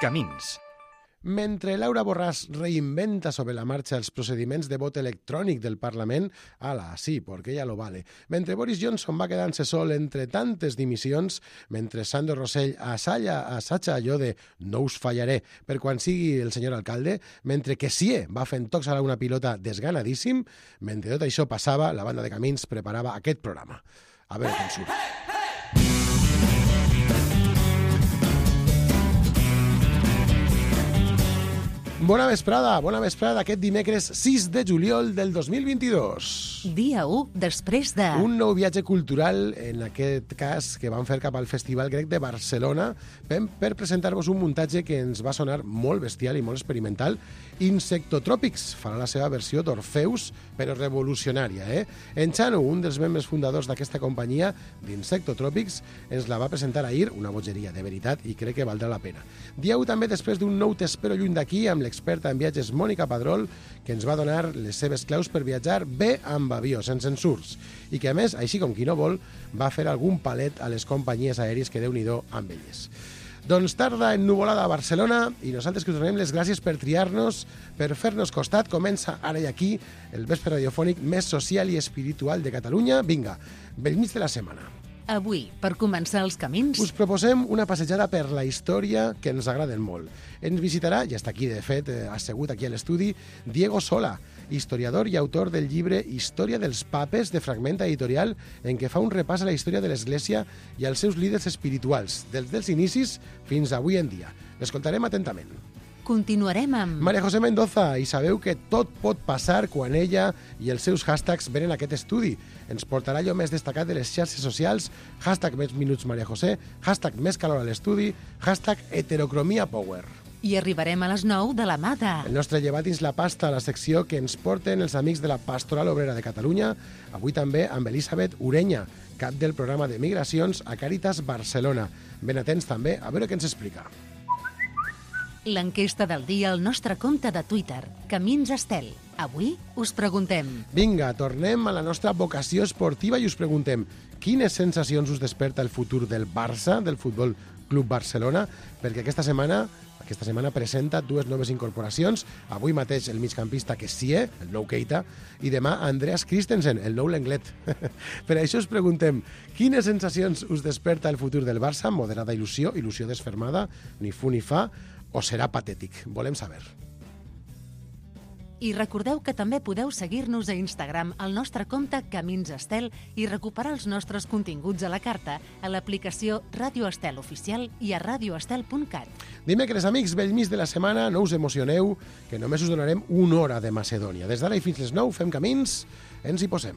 Camins. Mentre Laura Borràs reinventa sobre la marxa els procediments de vot electrònic del Parlament, ala, sí, porque ella lo vale. Mentre Boris Johnson va quedant-se sol entre tantes dimissions, mentre Sandro Rosell assaja allò de no us fallaré per quan sigui el senyor alcalde, mentre Kessié va fent tocs a una pilota desganadíssim, mentre tot això passava, la banda de Camins preparava aquest programa. A veure com surt. Bona vesprada aquest dimecres 6 de juliol del 2022. Dia 1 després de... Un nou viatge cultural, en aquest cas, que vam fer cap al Festival Grec de Barcelona per presentar-vos un muntatge que ens va sonar molt bestial i molt experimental. Insectotròpics farà la seva versió d'Orfeus, però revolucionària, En Xano, un dels membres fundadors d'aquesta companyia d'Insectotròpics, ens la va presentar ahir, una bogeria de veritat, i crec que valdrà la pena. Dia 1 també després d'un nou T'espero lluny d'aquí, amb l'experta en viatges Mònica Padrol, que ens va donar les seves claus per viatjar bé amb avió, sense ensurs, i que a més, així com qui no vol, va fer algun palet a les companyies aèries que Déu-n'hi-do amb elles. Doncs tarda ennuvolada a Barcelona i nosaltres que us donem les gràcies per triar-nos, per fer-nos costat. Comença ara i aquí el vespre radiofònic més social i espiritual de Catalunya. Vinga, bell mig de la setmana. Avui, per començar els camins... Us proposem una passejada per la història que ens agraden molt. Ens visitarà, ja està aquí de fet, assegut aquí a l'estudi, Diego Sola, historiador i autor del llibre Història dels Papes, de Fragment Editorial, en què fa un repàs a la història de l'Església i als seus líders espirituals, des dels inicis fins avui en dia. L'escoltarem atentament. Continuarem amb... María José Mendoza, i sabeu que tot pot passar quan ella i els seus hashtags venen a aquest estudi. Ens portarà allò més destacat de les xarxes socials, hashtag més minuts María José, hashtag més calor a l'estudi, hashtag heterocromia power. I arribarem a les 9 de la mà de... El nostre llevat dins la pasta, la secció que ens porten els amics de la Pastoral Obrera de Catalunya, avui també amb Elisabet Ureña, cap del programa de migracions a Càritas Barcelona. Ben atents també a veure què ens explica. L'enquesta del dia al nostre compte de Twitter, Camins Estel. Avui us preguntem... Vinga, tornem a la nostra vocació esportiva i us preguntem quines sensacions us desperta el futur del Barça, del Futbol Club Barcelona, perquè aquesta setmana presenta dues noves incorporacions. Avui mateix el migcampista Kessié, el nou Keita, i demà Andreas Christensen, el nou Lenglet. Per això us preguntem quines sensacions us desperta el futur del Barça, moderada il·lusió desfermada, ni fu ni fa, o serà patètic? Volem saber. I recordeu que també podeu seguir-nos a Instagram al nostre compte Camins Estel i recuperar els nostres continguts a la carta a l'aplicació Ràdio Estel Oficial i a radioestel.cat. Dimecres, amics, bell mig de la setmana, no us emocioneu, que només us donarem una hora de Macedònia. Des d'ara i fins les 9 fem camins, ens hi posem.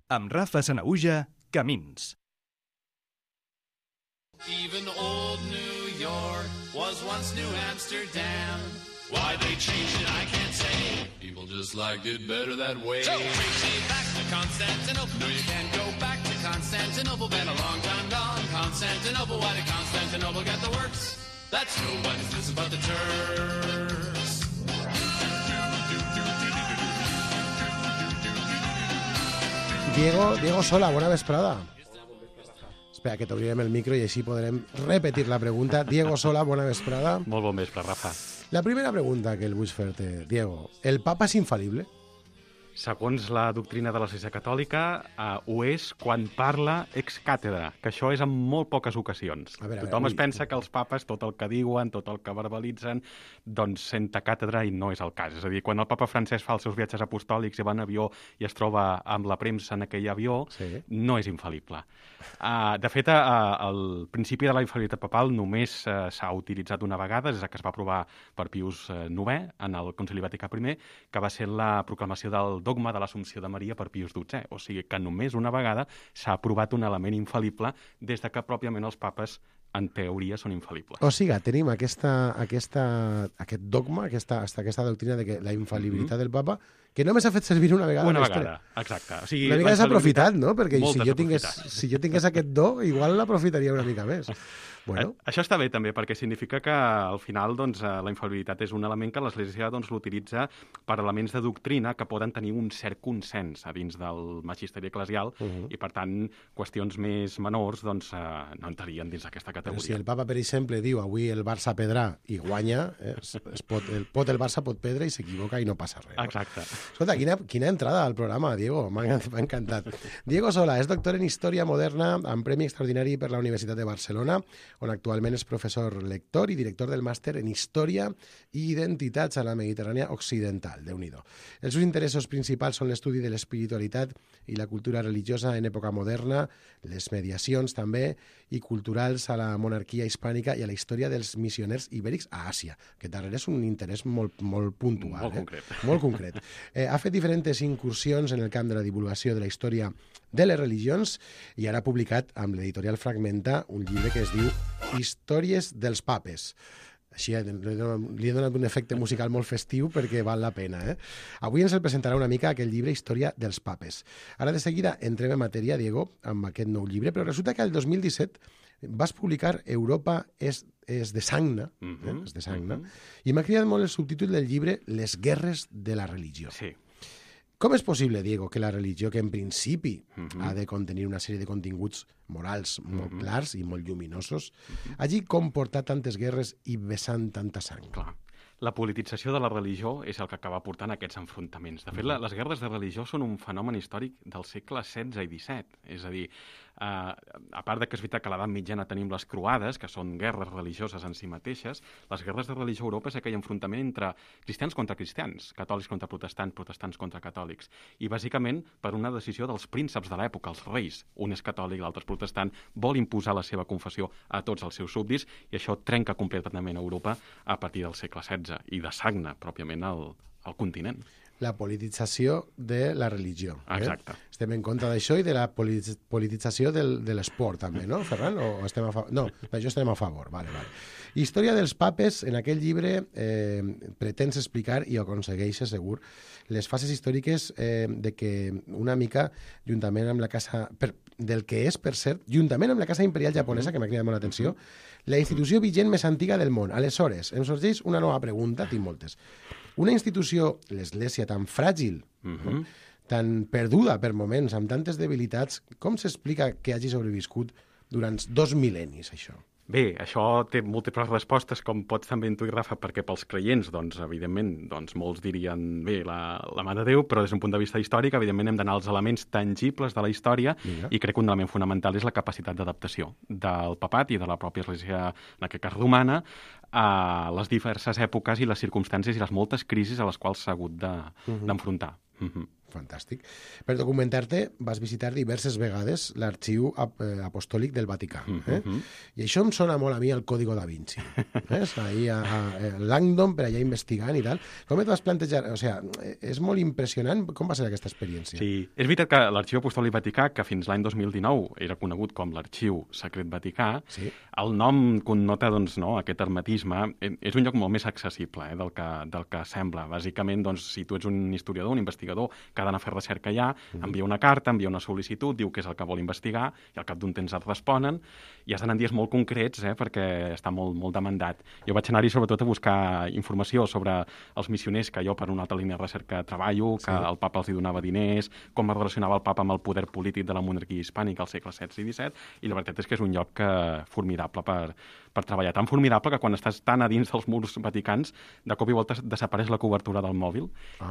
Amb Rafa Sanahuja, Camins. Even old New York was once New Amsterdam. Why they changed it, I can't say. People just liked it better that way. So take me back to Constantinople. No, you can't go back to Constantinople. Been a long time gone. Constantinople, why did Constantinople get the works? That's nobody's business but the Turks. Diego Sola, bona vesprada. Espera, que t'obrirem el micro i així podrem repetir la pregunta. Diego Sola, bona vesprada. Molt bon vespre, Rafa. La primera pregunta que el vull fer-te, Diego. El papa és infal·lible? Segons la doctrina de l'Església Catòlica, ho és quan parla ex càtedra, que això és en molt poques ocasions. Tothom es pensa que els papes, tot el que diuen, tot el que verbalitzen, doncs senta càtedra i no és el cas. És a dir, quan el papa Francesc fa els seus viatges apostòlics i va en avió i es troba amb la premsa en aquell avió, sí, no és infal·lible. De fet, el principi de la infal·libilitat papal només s'ha utilitzat una vegada, des que es va aprovar per Pius IX en el Concili Vaticà I, que va ser la proclamació del dogma de l'Assumpció de Maria per Pius XII. O sigui que només una vegada s'ha aprovat un element infal·lible des de que pròpiament els papes, en teoria, són infal·libles. O sigui, tenim aquest dogma, aquesta doctrina de que la infal·libilitat del papa, que només s'ha fet servir una vegada. Una vegada, exacte. O sigui, una mica desaprofitat, no? Perquè si jo tingués aquest do, igual l'aprofitaria una mica més. Bueno. Això està bé també, perquè significa que al final doncs, la infal·libilitat és un element que l'Església doncs, l'utilitza per elements de doctrina que poden tenir un cert consens a dins del magisteri eclesial i, per tant, qüestions més menors doncs, no entrarien dins d'aquesta categoria. Però si el papa, per exemple, diu avui el Barça pedrà i guanya, el Barça pot pedre i s'equivoca i no passa res. Exacte. Escolta, quina entrada al programa, Diego. M'ha encantat. Diego Sola és doctor en Història Moderna amb Premi Extraordinari per la Universitat de Barcelona, on actualment és professor lector i director del màster en Història i Identitats a la Mediterrània Occidental. Déu-n'hi-do. Els seus interessos principals són l'estudi de l'espiritualitat i la cultura religiosa en època moderna, les mediacions també, i culturals a la monarquia hispànica i a la història dels missioners ibèrics a Àsia. Aquest darrere és un interès molt puntual. Molt concret. Molt concret. Ha fet diferents incursions en el camp de la divulgació de la història de les religions i ara ha publicat amb l'editorial Fragmenta un llibre que es diu Històries dels papes. Així li he donat un efecte musical molt festiu perquè val la pena. Avui ens el presentarà una mica aquest llibre Història dels papes. Ara de seguida entrem en matèria, Diego, amb aquest nou llibre, però resulta que el 2017 vas publicar Europa és de Sagna, és de Sagna, i m'ha cridat molt el subtítol del llibre Les guerres de la religió. Sí. Com és possible, Diego, que la religió, que en principi ha de contenir una sèrie de continguts morals molt clars i molt lluminosos, hagi comportat tantes guerres i vessant tanta sang? Clar. La politització de la religió és el que acaba portant aquests enfrontaments. De fet, les guerres de religió són un fenomen històric del segle XVI i XVII. És a dir, a part de que és veritat que a l'edat mitjana tenim les croades, que són guerres religioses en si mateixes, les guerres de religió a Europa és aquell enfrontament entre cristians contra cristians, catòlics contra protestants, protestants contra catòlics. I bàsicament per una decisió dels prínceps de l'època, els reis. Un és catòlic, l'altre és protestant, vol imposar la seva confessió a tots els seus súbdits i això trenca completament Europa a partir del segle XVI i de Sagna, pròpiament, al continent. La politització de la religió. Exacte. Estem en contra d'això i de la politització de l'esport, també, no, Ferran? O estem a favor? No, d'això estem a favor. Vale. Història dels papes, en aquest llibre, pretens explicar, i ho aconsegueixes segur, les fases històriques de que una mica, juntament amb la casa... del que és, per cert, juntament amb la casa imperial japonesa, que m'ha cridat molt l'atenció, la institució vigent més antiga del món. Aleshores, em sorgeix una nova pregunta, tinc moltes. Una institució, l'Església, tan fràgil, tan perduda per moments, amb tantes debilitats, com s'explica que hagi sobreviscut durant 2 mil·lennis, això? Bé, això té múltiples respostes, com pots també intuir, Rafa, perquè pels creients, doncs, evidentment, doncs, molts dirien, bé, la mà de Déu, però des d'un punt de vista històric, evidentment, hem d'anar als elements tangibles de la història i crec que un element fonamental és la capacitat d'adaptació del papat i de la pròpia Església, en aquest cas romana, a les diverses èpoques i les circumstàncies i les moltes crisis a les quals s'ha hagut d'enfrontar. Fantàstic. Per documentar-te vas visitar diverses vegades l'arxiu apostòlic del Vaticà. I això em sona molt a mi el Código da Vinci. Ahir a Langdon, per allà investigant i tal. Com et vas plantejar? O sigui, és molt impressionant. Com va ser aquesta experiència? Sí, és veritat que l'arxiu apostòlic Vaticà, que fins l'any 2019 era conegut com l'arxiu secret Vaticà, el nom connota doncs, aquest hermetisme. És un lloc molt més accessible del que sembla. Bàsicament, doncs, si tu ets un historiador, un investigador que ha d'anar a fer recerca allà, envia una carta, envia una sol·licitud, diu què és el que vol investigar, i al cap d'un temps et responen, i has d'anar en dies molt concrets, perquè està molt demandat. Jo vaig anar-hi sobretot a buscar informació sobre els missioners, que jo per una altra línia de recerca treballo, que el papa els hi donava diners, com es relacionava el papa amb el poder polític de la monarquia hispànica al segle XVI i XVII, i la veritat és que és un lloc formidable per treballar. Tan formidable que quan estàs tan a dins dels murs vaticans, de cop i volta desapareix la cobertura del mòbil,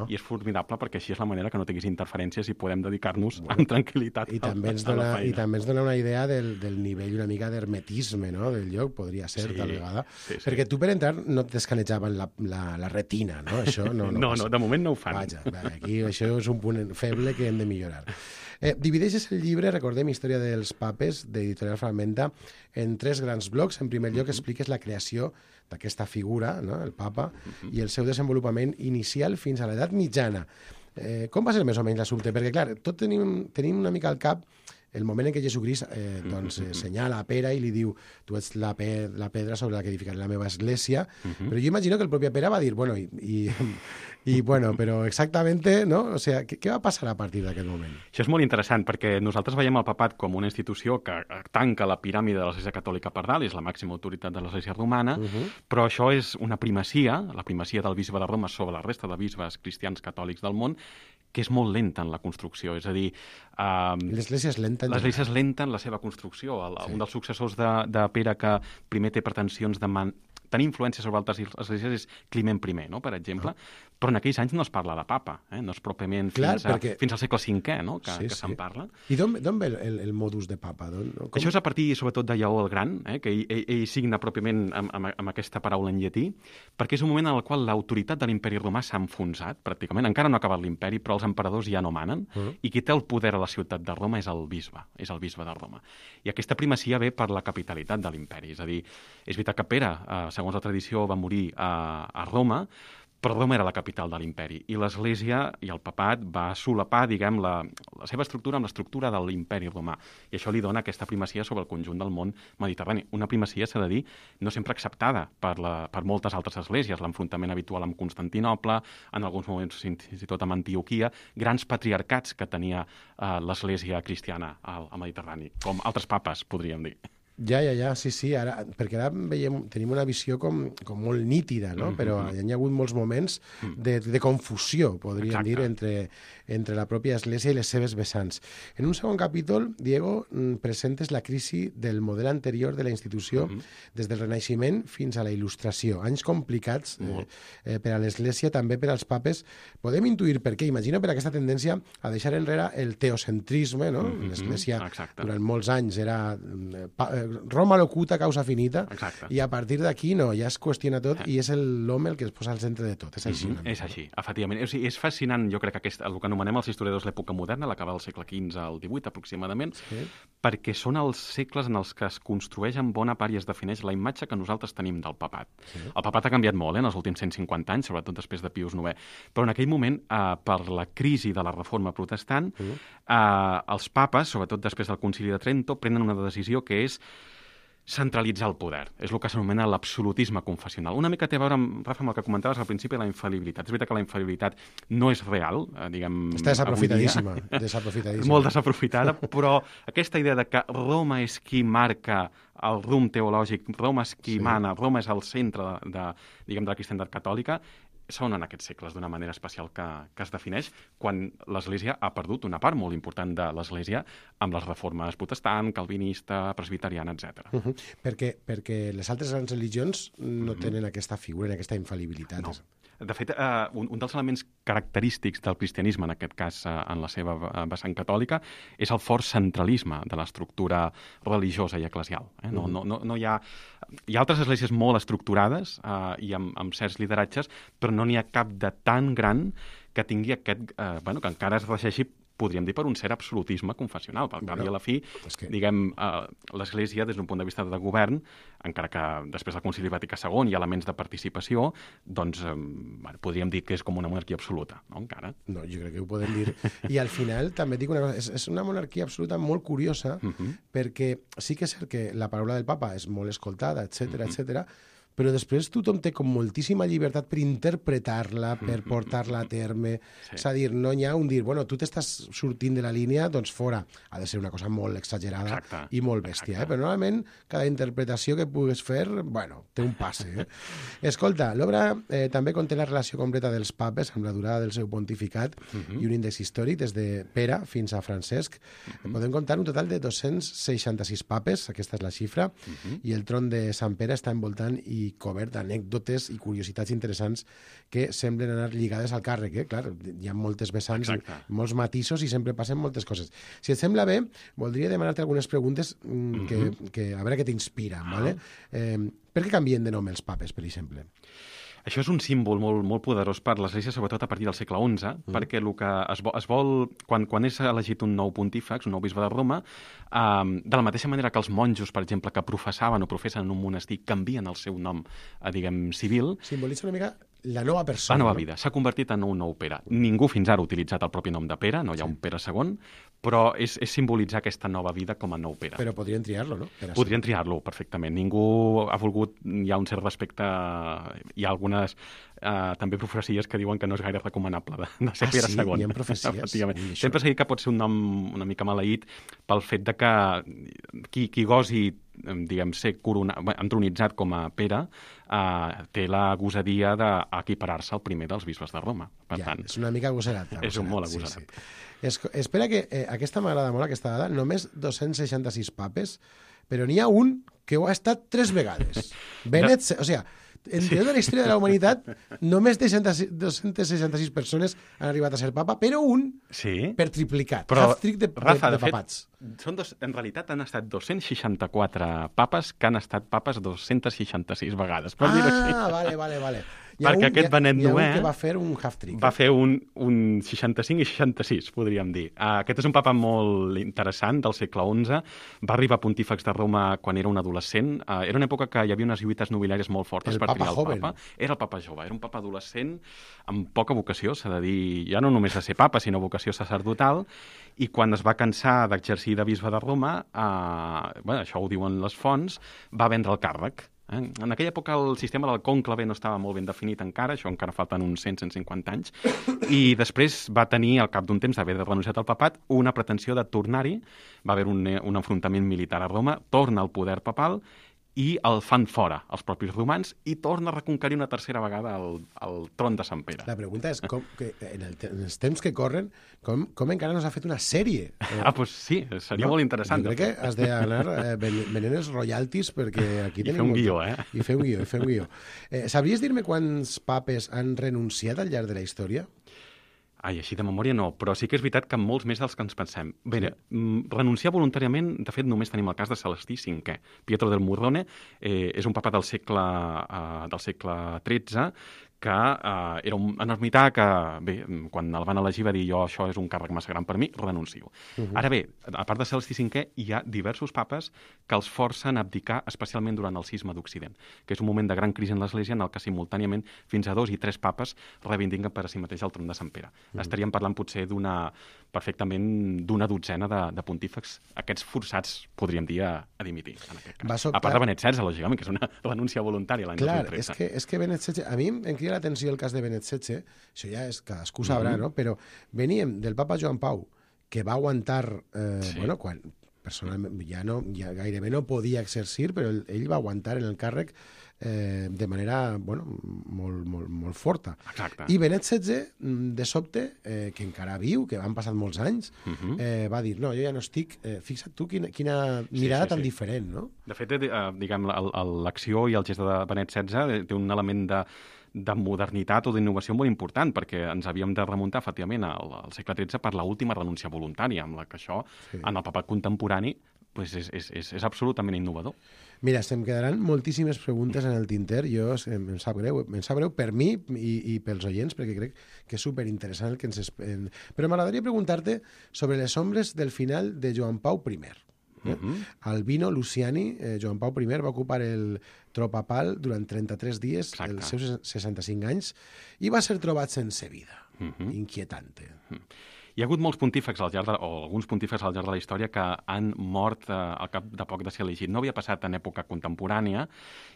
i és formidable perquè així és la manera que no tinguis interferències i podem dedicar-nos amb tranquil·litat a la feina. I també ens dona una idea del nivell una mica d'hermetisme, no?, del lloc, podria ser, tal vegada. Perquè tu per entrar no et descanejaven la retina, no? Això no, de moment no ho fan. Vaja, aquí això és un punt feble que hem de millorar. Divideixes el llibre, recordem, Història dels papes, d'Editorial Fragmenta, en 3 grans blocs. En primer lloc expliques la creació d'aquesta figura, no?, el papa, i el seu desenvolupament inicial fins a l'edat mitjana. Com va ser més o menys l'assumpte? Perquè, clar, tot tenim una mica al cap el moment en què Jesucrist senyala a Pere i li diu tu ets la pedra sobre la que edificaré la meva església, però jo imagino que el propi Pere va dir, bueno, però exactamente, no? O sea, què va passar a partir d'aquest moment? Això és molt interessant, perquè nosaltres veiem el papat com una institució que tanca la piràmide de l'Església Catòlica per dalt, és la màxima autoritat de l'Església romana, però això és una primacia, la primacia del bisbe de Roma sobre la resta de bisbes cristians catòlics del món, que és molt lenta en la construcció. És a dir... L'Església és lenta. L'Església és lenta en la seva construcció. Un dels successors de Pere que primer té pretensions de tenir influència sobre altres esglésies és Climent I, no? Per exemple, però en aquells anys no es parla de papa, no és pròpiament fins al segle V, no? que se'n parla. I d'on ve el modus de papa? Això és a partir, sobretot, de Lleó el Gran, que ell signa pròpiament amb aquesta paraula en llatí, perquè és un moment en el qual l'autoritat de l'imperi romà s'ha enfonsat, pràcticament. Encara no ha acabat l'imperi, però els emperadors ja no manen, i qui té el poder a la ciutat de Roma és el bisbe de Roma. I aquesta primacia ve per la capitalitat de l'imperi. És a dir, és veritat que Pere, segons la tradició, va morir a Roma, però Roma era la capital de l'imperi, i l'Església i el papat va solapar, diguem, la seva estructura amb l'estructura de l'imperi romà, i això li dona aquesta primacia sobre el conjunt del món mediterrani. Una primacia, s'ha de dir, no sempre acceptada per moltes altres esglésies, l'enfrontament habitual amb Constantinoble, en alguns moments fins i tot amb Antioquia, grans patriarcats que tenia l'Església cristiana al Mediterrani, com altres papes, podríem dir. Ja, sí, ara, perquè ara tenim una visió com molt nítida, no? Però hi ha hagut molts moments de confusió, podríem dir, entre la pròpia Església i les seves vessants. En un segon capítol, Diego, presentes la crisi del model anterior de la institució des del Renaixement fins a la Il·lustració. Anys complicats per a l'Església, també per als papes. Podem intuir per què. Imagina per aquesta tendència a deixar enrere el teocentrisme, no? L'Església durant molts anys era Roma locuta, causa finita, i a partir d'aquí ja es qüestiona tot i és l'home el que es posa al centre de tot. És així. És així, efectivament. O sigui, és fascinant, jo crec, el que anomenem els historiadors l'època moderna, l'acaba del segle XV al XVIII aproximadament, perquè són els segles en els que es construeix en bona part i es defineix la imatge que nosaltres tenim del papat. El papat ha canviat molt en els últims 150 anys, sobretot després de Pius IX, però en aquell moment, per la crisi de la reforma protestant, els papes, sobretot després del Concili de Trento, prenen una decisió que és centralitzar el poder. És el que s'anomena l'absolutisme confessional. Una mica té a veure, Rafa, amb el que comentaves al principi de la infal·libilitat. És veritat que la infal·libilitat no és real, diguem... Està desaprofitadíssima. Molt desaprofitada, però aquesta idea de que Roma és qui marca el rumb teològic, Roma és qui mana, Roma és el centre de la cristianitat catòlica, són en aquests segles d'una manera especial que es defineix quan l'Església ha perdut una part molt important de l'Església amb les reformes protestant, calvinista, presbiteriana, etc. Perquè les altres grans religions no tenen aquesta figura, aquesta infal·libilitat. No. De fet, un dels elements característics del cristianisme, en aquest cas en la seva vessant catòlica, és el fort centralisme de l'estructura religiosa i eclesial. No hi ha altres esglésies molt estructurades i amb certs lideratges, però no n'hi ha cap de tan gran que tingui aquest... que encara es regeixi, podríem dir, per un cert absolutisme confessional. Per tant, i a la fi, diguem, l'Església, des d'un punt de vista de govern, encara que després del Concili Vaticà II hi ha elements de participació, doncs podríem dir que és com una monarquia absoluta, no? Encara. No, jo crec que ho podem dir. I al final, també dic una cosa, és una monarquia absoluta molt curiosa, perquè sí que és cert que la paraula del papa és molt escoltada, etc., però després tothom té com moltíssima llibertat per interpretar-la, per portar-la a terme. És a dir, no hi ha un dir, bueno, tu t'estàs sortint de la línia, doncs fora. Ha de ser una cosa molt exagerada i molt bèstia. Però normalment cada interpretació que puguis fer, bueno, té un passe. Escolta, l'obra també conté la relació completa dels papes amb la durada del seu pontificat i un índex històric des de Pere fins a Francesc. Podem comptar un total de 266 papes, aquesta és la xifra, i el tron de Sant Pere està envoltant i cobert d'anècdotes i curiositats interessants que semblen anar lligades al càrrec. Clar, hi ha moltes vessants, molts matisos i sempre passen moltes coses. Si et sembla bé, voldria demanar-te algunes preguntes que a veure què t'inspira. Per què canvien de nom els papes, per exemple? Això és un símbol molt poderós per l'Església, sobretot a partir del segle XI, perquè el que es vol, quan és elegit un nou pontífex, un nou bisbe de Roma, de la mateixa manera que els monjos, per exemple, que professaven o professen en un monestir, canvien el seu nom, diguem, civil. Simbolitza una mica la nova persona. La nova vida. S'ha convertit en un nou Pere. Ningú fins ara ha utilitzat el propi nom de Pere, no hi ha un Pere segon, però és simbolitzar aquesta nova vida com a nou Pere. Però podrien triar-lo, no? Podrien triar-lo, perfectament. Ningú ha volgut... Hi ha un cert respecte... Hi ha algunes també profecies que diuen que no és gaire recomanable de ser Pere segon. Hi ha profecies? Sempre s'ha dit que pot ser un nom una mica maleït pel fet de que qui gosi ser entronitzat com a Pere té la gosadia d'equiparar-se al primer dels bisbes de Roma. Per tant, és una mica agosarat. És un molt agosarat. Sí. Espera que aquesta m'agrada molt, aquesta dada, només 266 papes, però n'hi ha un que ho ha estat 3 vegades. Benet, o sigui, en tota la història de la humanitat, només 266 persones han arribat a ser papa, però un per triplicat. Half-trick de papats. En realitat han estat 264 papes que han estat papes 266 vegades. Vale. Perquè aquest Benet IX que va fer un half-trick. Va fer un 65 i 66, podríem dir. Aquest és un papa molt interessant, del segle XI. Va arribar a pontífex de Roma quan era un adolescent. Era una època que hi havia unes lluites nobiliàries molt fortes per triar el papa. Era el papa jove, era un papa adolescent amb poca vocació, s'ha de dir, ja no només de ser papa, sinó vocació sacerdotal, i quan es va cansar d'exercir de bisbe de Roma, això ho diuen les fonts, va vendre el càrrec. En aquella època el sistema del cònclave no estava molt ben definit encara, això encara falten uns 100-150 anys, i després va tenir, al cap d'un temps d'haver renunciat al papat, una pretensió de tornar-hi, va haver un enfrontament militar a Roma, torna al poder papal i el fan fora, els propis romans, i torna a reconquerir una tercera vegada el tron de Sant Pere. La pregunta és, en els temps que corren, com encara no s'ha fet una sèrie? Doncs sí, seria molt interessant. Jo crec que has d'anar venent els royalties, perquè aquí tenim... I fer un guió. Sabries dir-me quants papes han renunciat al llarg de la història? Així de memòria no, però sí que és veritat que molts més dels que ens pensem. Bé, renunciar voluntàriament, de fet, només tenim el cas de Celestí V. Pietro del Murrone és un papa del segle XIII, que era un ermità que, bé, quan el van elegir va dir jo, això és un càrrec massa gran per mi, renuncio. Ara bé, a part de Celestí V, hi ha diversos papes que els forcen a abdicar, especialment durant el cisma d'Occident, que és un moment de gran crisi en l'Església en el que simultàniament fins a 2 i 3 papes reivindiquen per a si mateix el tron de Sant Pere. Estaríem parlant potser perfectament d'una dotzena de pontífex, aquests forçats, podríem dir, a dimitir, en aquest cas. A part de Benet XVI, lògicament, que és una renúncia voluntària l'any 2013. Clar, és que Benet XVI... A mi em crida l'atenció el cas de Benet XVI, això ja és cadascú sabrà, no? Però veníem del papa Joan Pau, que va aguantar, quan personalment ja gairebé no podia exercir, però ell va aguantar en el càrrec de manera molt forta. Exacte. I Benet XVI, de sobte, que encara viu, que han passat molts anys, va dir, no, jo ja no estic... Fixa't tu quina mirada tan diferent, no? De fet, diguem, l'acció i el gest de Benet XVI té un element de modernitat o d'innovació molt important, perquè ens havíem de remuntar, efectivament, al segle XIII per l'última renúncia voluntària, amb la que això, en el papat contemporani, és absolutament innovador. Mira, se'm quedaran moltíssimes preguntes en el tinter. Em sap greu per mi i pels oients, perquè crec que és superinteressant el que ens... Però m'agradaria preguntar-te sobre les ombres del final de Joan Pau I. Albino Luciani, Joan Pau I, va ocupar el tron papal durant 33 dies, els seus 65 anys, i va ser trobat sense vida. Inquietante. Hi ha hagut molts pontífex o alguns pontífex al llarg de la història que han mort al cap de poc de ser elegit. No havia passat en època contemporània,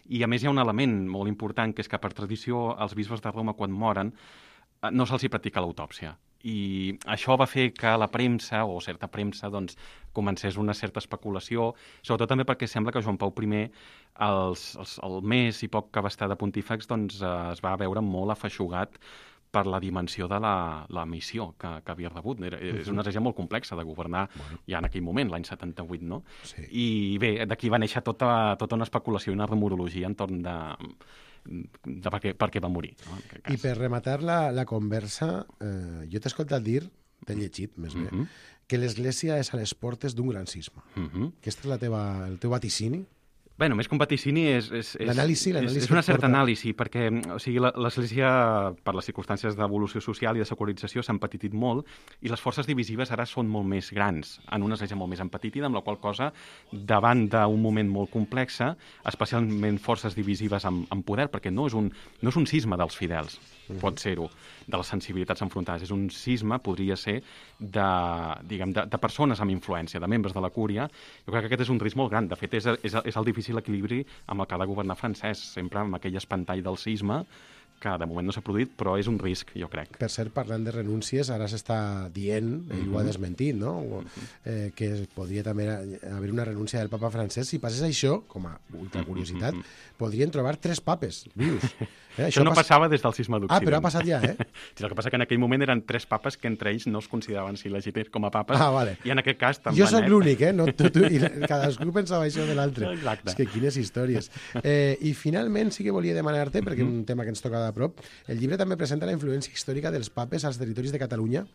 i a més hi ha un element molt important, que és que per tradició els bisbes de Roma, quan moren, no se'ls hi practica l'autòpsia. I això va fer que la premsa, o certa premsa, doncs, comencés una certa especulació, sobretot també perquè sembla que Joan Pau I, el mes i poc que va estar de pontífex, doncs, es va veure molt afeixugat per la dimensió de la missió que havia rebut. És una regió molt complexa de governar ja en aquell moment, l'any 78, no? Sí. I bé, d'aquí va néixer tota una especulació i una rumorologia entorn de per què va morir. No? I per rematar la conversa, jo t'he escoltat dir, t'he llegit més bé, que l'Església és a les portes d'un gran cisma. Aquest és el teu vaticini? Bé, més que un vaticini és una certa anàlisi, perquè l'Església, per les circumstàncies d'evolució social i de secularització, s'ha empetitit molt, i les forces divisives ara són molt més grans, en una església molt més empetitida, amb la qual cosa, davant d'un moment molt complex, especialment forces divisives amb poder, perquè no és un cisma dels fidels, pot ser-ho, de les sensibilitats enfrontades, és un cisma, podria ser, de persones amb influència, de membres de la cúria. Jo crec que aquest és un risc molt gran. De fet, és el difícil equilibri amb el que ha de governar francès, sempre amb aquell espantall del cisma, que de moment no s'ha produït, però és un risc, jo crec. Per cert, parlant de renúncies, ara s'està dient, ell ho ha desmentit, no? Que podria també haver una renúncia del papa francès. Si passés això, com a ultracuriositat, podrien trobar 3 papes vius. Això no passava des del cisma d'Occident. Però ha passat ja, Sí, el que passa que en aquell moment eren 3 papes que entre ells no es consideraven legítims com a papes, vale. I en aquest cas també. Jo sóc l'únic, no? I cadascú pensava això de l'altre. Exacte. És que quines històries. I finalment sí que volia demanar-te, perquè és un tema que ens toca de prop, el llibre també presenta la influència històrica dels papes als territoris de Catalunya,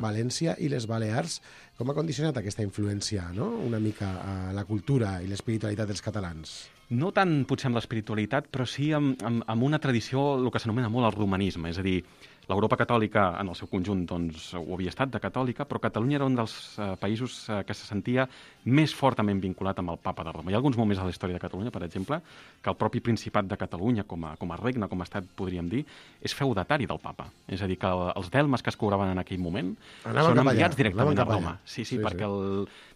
València i les Balears. Com ha condicionat aquesta influència, no? Una mica a la cultura i l'espiritualitat dels catalans? No tant potser amb l'espiritualitat, però sí amb una tradició, el que s'anomena molt el romanisme, és a dir, l'Europa catòlica, en el seu conjunt, doncs, ho havia estat de catòlica, però Catalunya era un dels països que se sentia més fortament vinculat amb el papa de Roma. Hi ha alguns moments a la història de Catalunya, per exemple, que el propi Principat de Catalunya, com a regne, com a estat, podríem dir, és feudatari del papa. És a dir, que els delmes que es cobraven en aquell moment són enviats directament a Roma. Sí, perquè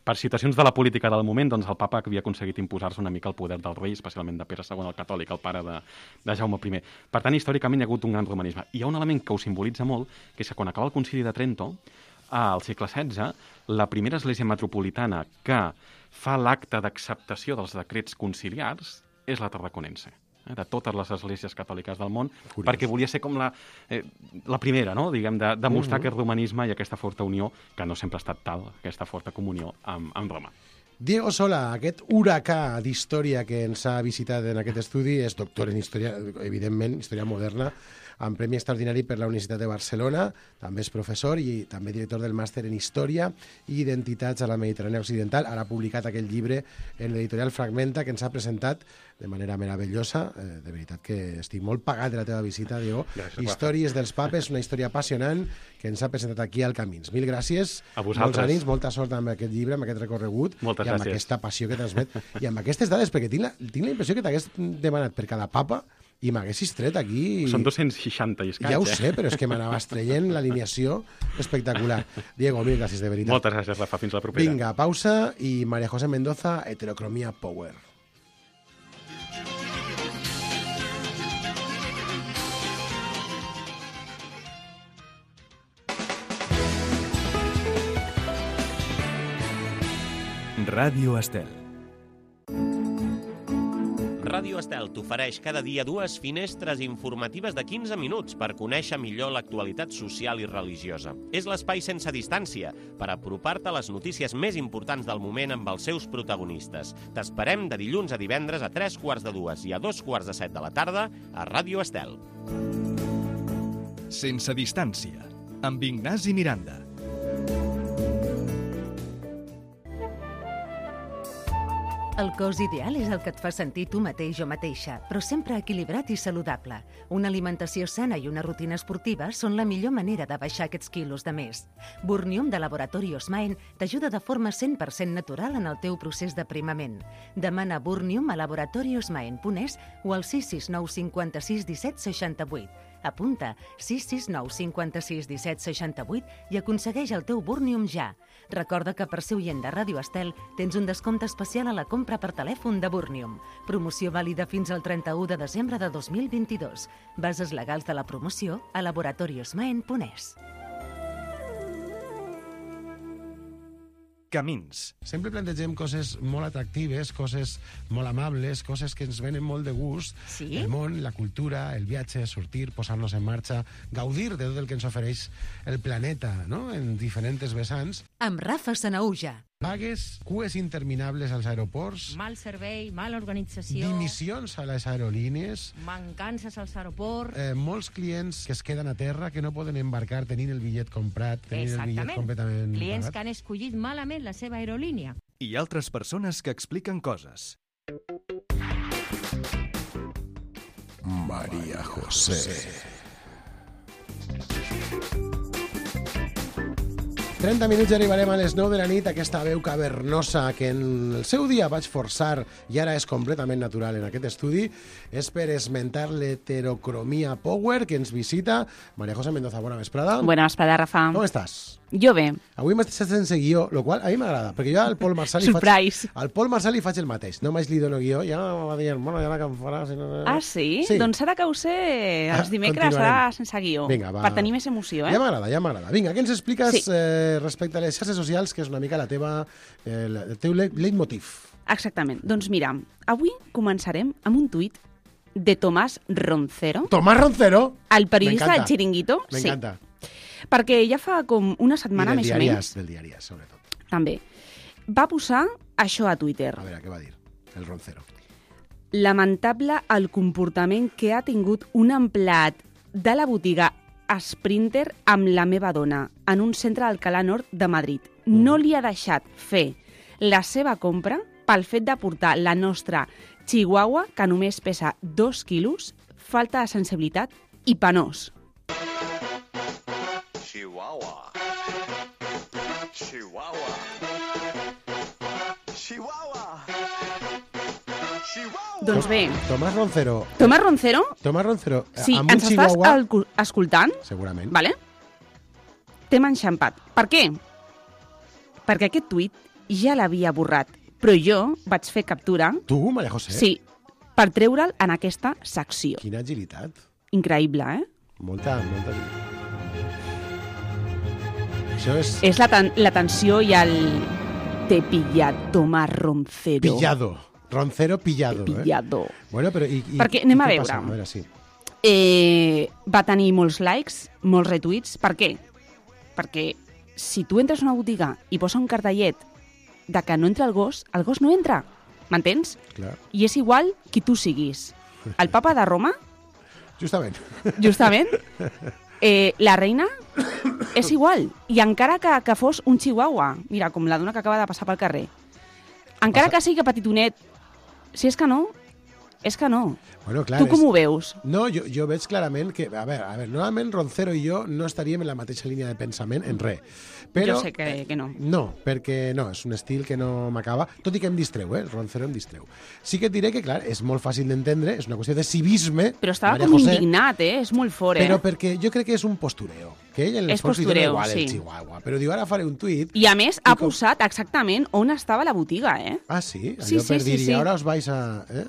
per situacions de la política del moment, doncs el papa havia aconseguit imposar-se una mica el poder del rei, especialment de Pere II el catòlic, el pare de Jaume I. Per tant, històricament hi ha hagut un gran romanisme. Hi ha un element que ho simbolitza molt, que és que quan acaba el concili de Trento, al segle XVI, la primera església metropolitana que fa l'acte d'acceptació dels decrets conciliars és la tarraconense, de totes les esglésies catòliques del món, perquè volia ser com la primera, no? Diguem, de demostrar aquest romanisme i aquesta forta unió, que no sempre ha estat tal, aquesta forta comunió amb Roma. Diego Sola, aquest huracà d'història que ens ha visitat en aquest estudi, és doctor en història, evidentment, història moderna, amb Premi Extraordinari per la Universitat de Barcelona, també és professor i també director del màster en Història i Identitats a la Mediterrània Occidental. Ara ha publicat aquell llibre en l'editorial Fragmenta, que ens ha presentat de manera meravellosa. De veritat que estic molt pagat de la teva visita, Diego. Històries dels papes, una història apassionant que ens ha presentat aquí al Camins. Mil gràcies. A vosaltres. Molts ànims, molta sort amb aquest llibre, amb aquest recorregut. Moltes gràcies. I amb aquesta passió que transmet. I amb aquestes dades, perquè tinc la impressió que t'hagués demanat per cada papa i m'haguessis tret aquí... Són 260 i escaig, Ja ho sé, però és que m'anaves traient l'alineació espectacular. Diego, mil gràcies, de veritat. Moltes gràcies, Rafa. Fins la propera. Vinga, pausa i María José Mendoza, Heterocromia Power. Ràdio Estel. Ràdio Estel t'ofereix cada dia 2 finestres informatives de 15 minuts per conèixer millor l'actualitat social i religiosa. És l'espai sense distància per apropar-te a les notícies més importants del moment amb els seus protagonistes. T'esperem de dilluns a divendres a 3:45 i a 2:45 de la tarda a Ràdio Estel. Sense distància, amb Ignasi Miranda. El cos ideal és el que et fa sentir tu mateix o mateixa, però sempre equilibrat i saludable. Una alimentació sana i una rutina esportiva són la millor manera de baixar aquests quilos de més. Burnium de Laboratori Osmaen t'ajuda de forma 100% natural en el teu procés d'aprimament. Demana Burnium a laboratoriosmaen.es o al 669 56 17 68. Apunta 669 56 17 68 i aconsegueix el teu Burnium ja. Recorda que per ser oient de Ràdio Estel tens un descompte especial a la compra per telèfon de Burnium. Promoció vàlida fins al 31 de desembre de 2022. Bases legals de la promoció a laboratoriosmaen.es. Camins. Sempre plantegem coses molt atractives, coses molt amables, coses que ens venen molt de gust. Sí? El món, la cultura, el viatge, sortir, posar-nos en marxa, gaudir de tot el que ens ofereix el planeta, no?, en diferents vessants. Amb Rafa Sanaúja. Vagues, cues interminables als aeroports, Mal servei, mala organització, dimissions a les aerolínies, mancances als aeroports... molts clients que es queden a terra, que no poden embarcar tenint el bitllet comprat, tenint el bitllet completament clients pagat. que han escollit malament la seva aerolínia. I altres persones que expliquen coses. María José. 30 minuts i arribarem a les 9 de la nit, aquesta veu cavernosa que en el seu dia vaig forçar i ara és completament natural en aquest estudi, és per esmentar l'heterocromia power que ens visita. María José Mendoza, bona vesprada. Bona vesprada, Rafa. Com estàs? Jo bé. Avui m'has deixat sense guió, el qual a mi m'agrada, perquè jo al Pol Marçal al Pol Marçal li faig el mateix. Només li dono guió, ja va dir, bueno, ja la que em farà... Ah, sí? Doncs ara que ho sé, els dimecres serà sense guió. Vinga, va. Per tenir més emoció, Ja m'agrada. Vinga, què ens expliques Sí. Respecte a les xarxes socials, que és una mica el teu leitmotiv? Exactament. Doncs mira, avui començarem amb un tuit de Tomás Roncero, Tomás Roncero? el periodista M'encanta. del Chiringuito. M'encanta. Perquè ja fa com una setmana I més o menys, del diàries, sobretot. també, va posar això a Twitter. A veure, què va dir el Roncero? Lamentable el comportament que ha tingut un empleat de la botiga Sprinter amb la meva dona en un centre d'Alcalá Nord de Madrid. No li ha deixat fer la seva compra pel fet de portar la nostra chihuahua, que només pesa 2 quilos, falta de sensibilitat i penós. Chihuahua. Chihuahua. Chihuahua. Chihuahua. Doncs bé, Tomás Roncero. Tomás Roncero, si amb un ens estàs chihuahua... escoltant, Segurament. vale? T'hem enxampat. Per què? Perquè aquest tuit ja l'havia borrat, però jo vaig fer captura, Tu, María José? sí, per treure'l en aquesta secció. Quina agilitat. Increïble, eh? Molta. Això és... És la tensió i el... Te pillat, Tomás Roncero. Pillado. Roncero pillado, Pillado. Bueno, però... Perquè anem a què veure. passa? A veure, sí. Va tenir molts likes, molts retuits. Per què? Perquè si tu entres a una botiga i posa un cartellet de que no entra el gos no entra. M'entens? Clar. I és igual qui tu siguis. El papa de Roma, Justament. la reina, és igual. I encara que fos un chihuahua, mira, com la dona que acaba de passar pel carrer, encara que sigui petitonet, si és que no, és que no. Bueno, clar, Tu com ho veus? No, jo veig clarament que... A veure, normalment Roncero i jo no estaríem en la mateixa línia de pensament en res. Però, Jo sé que no. No, perquè no, és un estil que no m'acaba, tot i que em distreu, el Roncero em distreu. Sí que et diré que, clar, és molt fàcil d'entendre, és una qüestió de civisme. Però estava María com José, indignat, és molt fort, Però perquè jo crec que és un postureo. Que ell en el És fons li dona postureo, igual el sí. chihuahua. Però diu, ara faré un tuit... I a més ha posat exactament on estava la botiga, eh? Ah, sí? Sí, Allò per sí, dir, sí. i ara us vais a...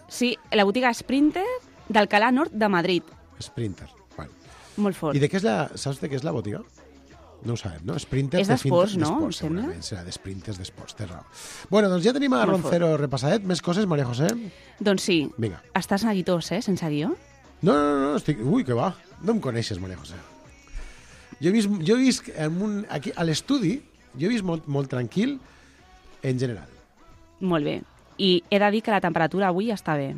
Sí, la botiga Sprinter d'Alcalá Nord de Madrid. Sprinter. Bueno. Molt fort. I de què és la... Saps de què és la botiga? No ho sabem, no? Sprinter És d'esports, no? D'esports, Em sembla. segurament. Serà d'esprinters d'esports, té raó. Bueno, doncs ja tenim a Molt Roncero repassadet. Més coses, María José? Doncs sí. Vinga. Estàs neguitós, sense guió? No, estic... Ui, que va. No em coneixes, María José. Jo he vist aquí, a l'estudi, jo he vist molt tranquil en general. Molt bé. I he de dir que la temperatura avui està bé.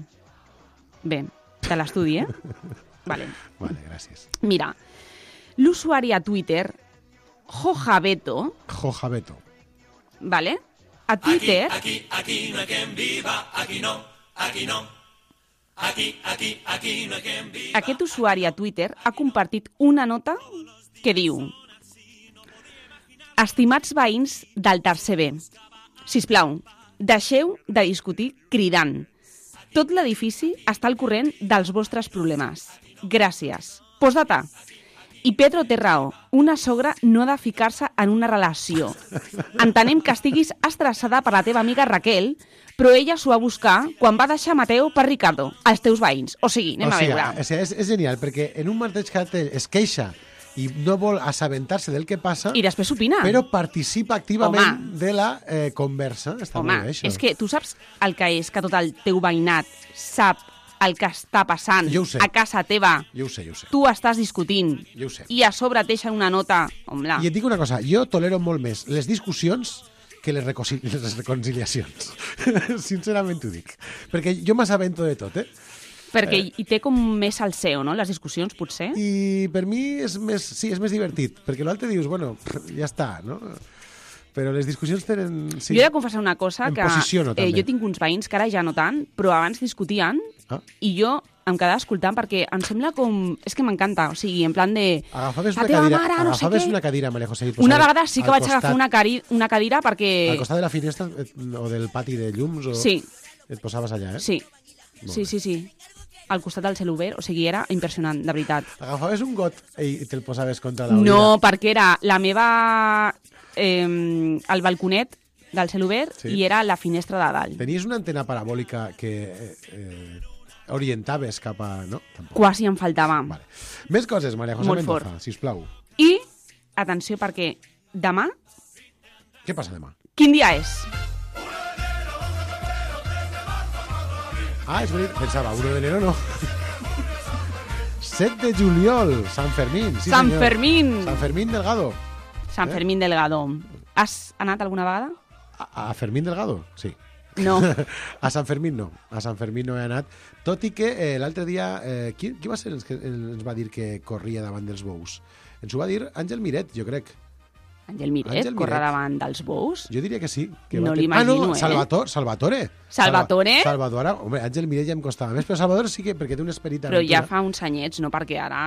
Bé, de l'estudi, eh? Vale. Vale, gràcies. Mira, l'usuari a Twitter, Jojabeto, ¿vale? A Twitter... Aquí no hay quien viva, aquí no, aquí no. Aquí no hay quien viva. Aquest usuari a Twitter ha compartit una nota que diu: Estimats veïns del tercer B, sisplau, deixeu de discutir cridant. Tot l'edifici està al corrent dels vostres problemes. Gràcies. Postdata. I Pedro té raó. Una sogra no ha de ficar-se en una relació. Entenem que estiguis estressada per la teva amiga Raquel, però ella s'ho va buscar quan va deixar Mateo per Ricardo, els teus veïns. O sigui, anem a veure. O sigui, és genial, perquè en un mateix cartell es queixa i no vol assabentar-se del que passa, I després opina. però participa activament de la conversa. Està molt bé, això. És que tu saps el que és que tot el teu veïnat sap el que està passant Jo ho sé. a casa teva. Jo ho sé. Tu estàs discutint Jo ho sé. i a sobre et deixen una nota. Home, I et dic una cosa, jo tolero molt més les discussions que les reconciliacions. Sincerament t'ho dic. Perquè jo m'assabento de tot, perquè hi té com més salseo, no?, les discussions, potser. I per mi és més divertit, perquè l'altre dius, bueno, ja està, no? Però les discussions tenen... Sí. Jo he de confessar una cosa, Em que posiciono, també. jo tinc uns veïns que ara ja no tant, però abans discutien i jo em quedava escoltant perquè em sembla com... És que m'encanta, o sigui, en plan de... Agafaves la teva mare, no sé què... una cadira, Maria José. Una vegada sí que vaig agafar una cadira perquè... Al costat de la finestra o del pati de llums? O... Sí. Et posaves allà, eh? Sí. Sí. Al costat del cel obert, o sigui, era impressionant, de veritat. Agafaves un got i te'l posaves contra la No, perquè era la meva... el balconet del cel obert i era la finestra de dalt. Tenies una antena parabòlica que orientaves cap a... No? Tampoc. Quasi em faltava. Vale. Més coses, Maria José Mendoza, sisplau. I, atenció, perquè demà... Què passa demà? Quin dia és? Ah, és veritat. Pensava, 1 de enero no. 7 de juliol, Sant Fermín. Sí, Sant senyor. Fermín. Sant Fermín Delgado. Sant Fermín Delgado. Has anat alguna vegada? A Fermín Delgado? Sí. No. A Sant Fermín no. A Sant Fermín no he anat. Tot i que l'altre dia... qui va ser el que ens va dir que corria davant dels bous? Ens ho va dir Àngel Miret, jo crec. Àngel Miret corre davant dels bous? Jo diria que sí. Que no l'imagino, Salvatore. Salvatore? Home, Àngel Miret ja em costava més, però Salvatore sí que, perquè té un esperit Però ja fa uns anyets, no? Perquè ara...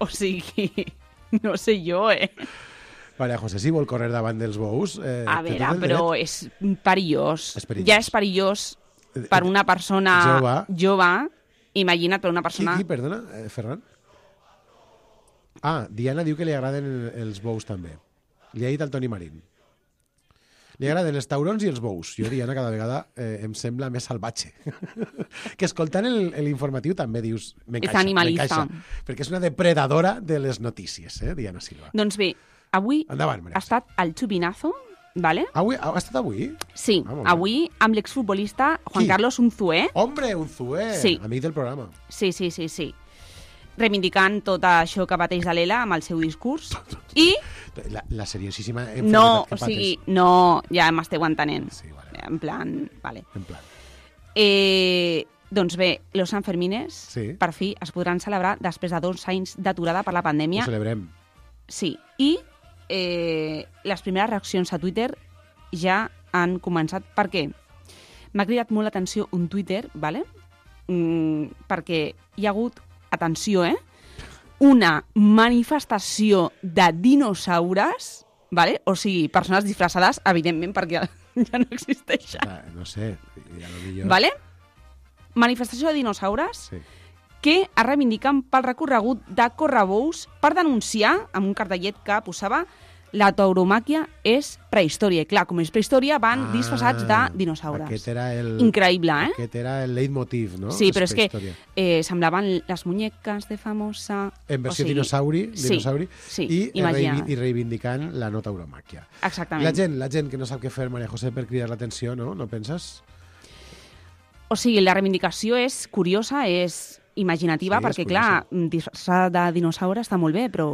O sigui... No sé jo, Maria José, si vol córrer davant dels bous... A veure, però és perillós. Ja és perillós per una persona jove. Imagina't per una persona... Qui, perdona, Ferran? Ah, Diana diu que li agraden els bous també. Li ha dit al Toni Marín. Li agraden els taurons i els bous. Jo, Diana, cada vegada em sembla més salvatge. Que escoltant l'informatiu també dius... És animalista. Perquè és una depredadora de les notícies, Diana Silva. Doncs bé, avui endavant, ha estat el xupinazo, ¿vale? Ha estat avui? Sí, avui amb l'exfutbolista Juan Carlos Unzué. Hombre, Unzué, sí. Amic del programa. Sí. Reivindicant tot això que pateix de l'Ela amb el seu discurs. I... La seriosíssima no, o sigui, no, ja m'esteu entenent. Sí, vale. En plan, vale. En plan. Doncs bé, los Sanfermines, per fi, es podran celebrar després de 2 anys d'aturada per la pandèmia. Ho celebrem. Sí, i les primeres reaccions a Twitter ja han començat. Per què? M'ha cridat molt l'atenció un Twitter, ¿vale? Perquè hi ha hagut, atenció, una manifestació de dinosaures, ¿vale? O sigui, persones disfressades, evidentment, perquè ja no existeixen. No sé, ja no dic jo. ¿Vale? Manifestació de dinosaures que es reivindiquen pel recorregut de correbous per denunciar, amb un cartellet que posava la tauromàquia és prehistòria. I clar, com és prehistòria, van disfressats de dinosaures. Aquest era increïble, Aquest era el leitmotiv, no? Sí, però és que semblaven les muñeques de famosa... En versió dinosauri. Sí, i reivindicant la no tauromàquia. Exactament. La gent que no sap què fer, Maria José, per cridar l'atenció, no? No penses? O sigui, la reivindicació és curiosa, és imaginativa, perquè, clar, disfressar de dinosaure està molt bé, però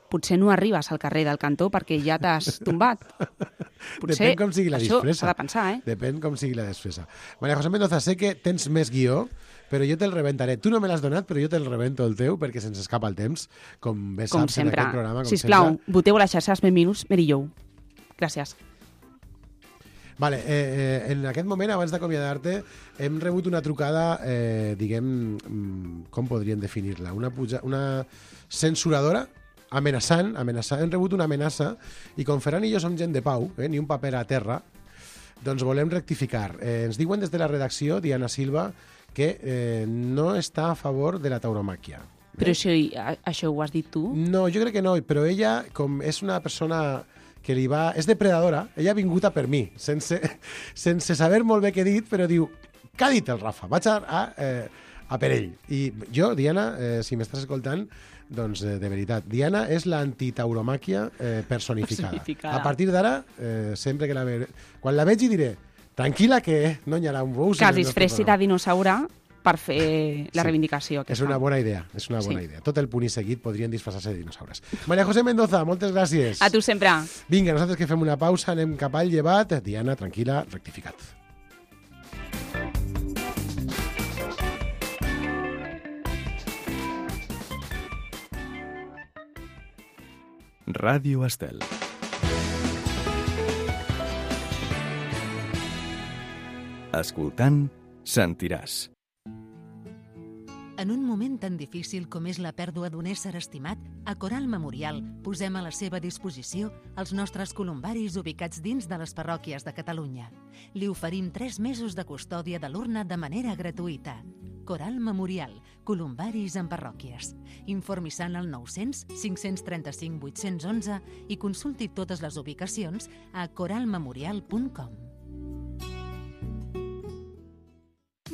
potser no arribes al carrer del Cantó perquè ja t'has tombat. Potser depèn com sigui la això disfressa. s'ha de pensar, Depèn com sigui la disfressa. Maria José Mendoza, sé que tens més guió, però jo te'l rebentaré. Tu no me l'has donat, però jo te'l rebento el teu, perquè se'ns escapa el temps, com bé saps en aquest programa. Sisplau, voteu a les xarxes Benvinguts Mary Jo. Gràcies. Vale, en aquest moment, abans d'acomiadar-te, hem rebut una trucada, diguem, com podríem definir-la? Una censuradora? Amenaçant, hem rebut una amenaça i com Ferran i jo som gent de pau, ni un paper a terra, doncs volem rectificar. Ens diuen des de la redacció, Diana Silva, que no està a favor de la tauromàquia. Però això ho has dit tu? No, jo crec que no, però ella, com és una persona que és depredadora, ella ha vingut a per mi, sense saber molt bé què he dit, però diu, què ha dit el Rafa? Vaig a per ell. I jo, Diana, si m'estàs escoltant, doncs, de veritat, Diana és l'antitauromàquia personificada. A partir d'ara, sempre que quan la vegi diré, tranquil·la que no hi haurà un bous... Que es disfressi de dinosaure per fer la reivindicació. És una bona idea, idea. Tot el punt i seguit podrien disfressar-se de dinosaures. Maria José Mendoza, moltes gràcies. A tu sempre. Vinga, nosaltres que fem una pausa, anem cap al llevat. Diana, tranquil·la, rectificat. Ràdio Estel. Escoltant, sentiràs. En un moment tan difícil com és la pèrdua d'un ésser estimat, a Coral Memorial posem a la seva disposició els nostres columbaris ubicats dins de les parròquies de Catalunya. Li oferim 3 mesos de custòdia de l'urna de manera gratuïta. Coral Memorial, columbaris en parròquies. Informi-se al 900 535 811 i consulti totes les ubicacions a coralmemorial.com.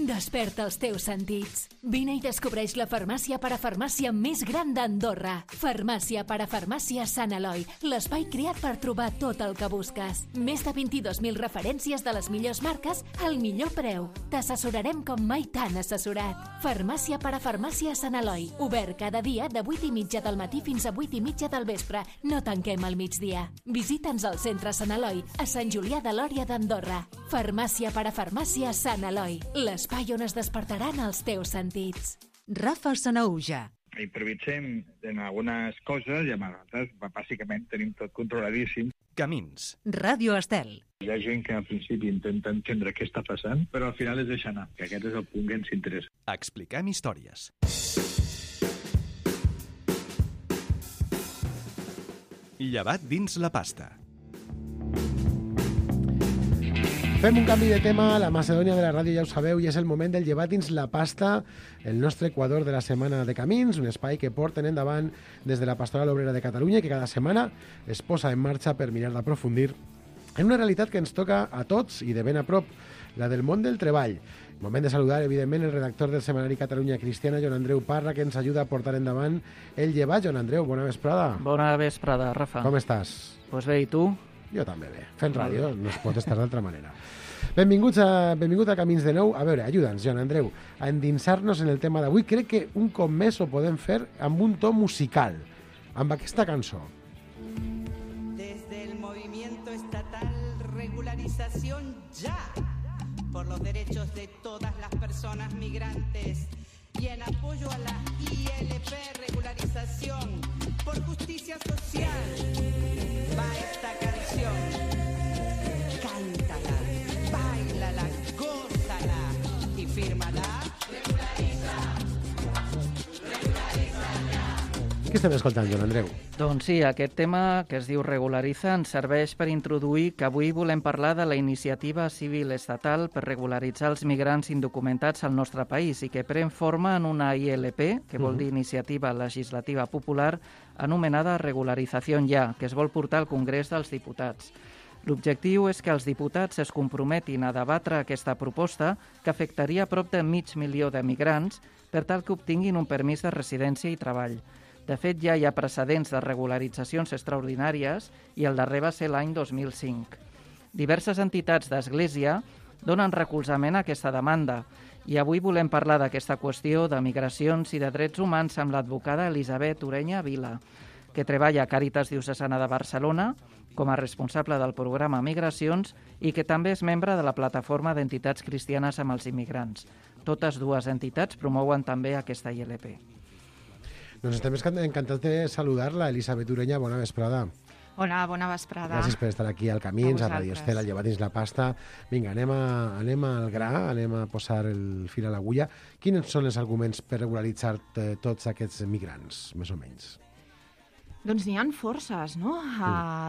Desperta els teus sentits. Vine i descobreix la farmàcia parafarmàcia més gran d'Andorra. Farmàcia parafarmàcia Sant Eloi, l'espai creat per trobar tot el que busques. Més de 22.000 referències de les millors marques al millor preu. T'assessorarem com mai t'han assessorat. Farmàcia parafarmàcia Sant Eloi, obert cada dia de 8:30 del matí fins a 8:30 del vespre. No tanquem al migdia. Visita'ns al centre Sant Eloi, a Sant Julià de Lòria d'Andorra. Farmàcia parafarmàcia Sant Eloi, l'espai on es despertaran els teus sentits. Rafa Sanauja. Improvisem en algunes coses i a vegades, bàsicament, tenim tot controladíssim. Camins. Ràdio Estel. Hi ha gent que al principi intenta entendre què està passant, però al final es deixa anar, que aquest és el punt que ens interessa. Expliquem històries. Llevat dins la pasta. Fem un canvi de tema, la Macedònia de la ràdio ja ho sabeu, i és el moment del llevat dins la pasta, el nostre Equador de la setmana de Camins, un espai que porten endavant des de la Pastoral Obrera de Catalunya i que cada setmana es posa en marxa per mirar d'aprofundir en una realitat que ens toca a tots i de ben a prop, la del món del treball. Moment de saludar, evidentment, el redactor del setmanari Catalunya Cristiana, Joan Andreu Parra, que ens ajuda a portar endavant el llevat. Joan Andreu, bona vesprada. Bona vesprada, Rafa. Com estàs? Pues bé, i tu? Jo també bé. Fent ràdio no es pot estar d'altra manera. Benvingut a Camins de nou. A veure, ajuda'ns, Joan Andreu, a endinsar-nos en el tema d'avui. Crec que un cop més ho podem fer amb un to musical, amb aquesta cançó. Desde el movimiento estatal Regularización Ya por los derechos de todas las personas migrantes y en apoyo a la ILP Regularización por Justicia Social va esta canción. Cántala, báilala, gózala y fírmala. Regulariza, regulariza ya. Què estem escoltant, Joan Andreu? Doncs sí, aquest tema que es diu Regulariza ens serveix per introduir que avui volem parlar de la iniciativa civil estatal per regularitzar els migrants indocumentats al nostre país i que pren forma en una ILP, que vol dir Iniciativa Legislativa Popular, anomenada Regularización Ya, que es vol portar al Congrés dels Diputats. L'objectiu és que els diputats es comprometin a debatre aquesta proposta que afectaria a prop de 500.000 de migrants per tal que obtinguin un permís de residència i treball. De fet, ja hi ha precedents de regularitzacions extraordinàries i el darrer va ser l'any 2005. Diverses entitats d'Església donen recolzament a aquesta demanda i avui volem parlar d'aquesta qüestió de migracions i de drets humans amb l'advocada Elisabet Ureña Vila, que treballa a Càritas Diocesana de Barcelona com a responsable del programa Migracions i que també és membre de la plataforma d'entitats cristianes amb els immigrants. Totes dues entitats promouen també aquesta ILP. Doncs estem encantats de saludar-la, Elisabet Ureña, bona vesprada. Hola, bona vesprada. Gràcies per estar aquí al Camins, a Radio Estel, a llevar dins la pasta. Vinga, anem al gra, anem a posar el fil a l'agulla. Quins són els arguments per regularitzar tots aquests migrants, més o menys? Doncs n'hi ha forces, no?,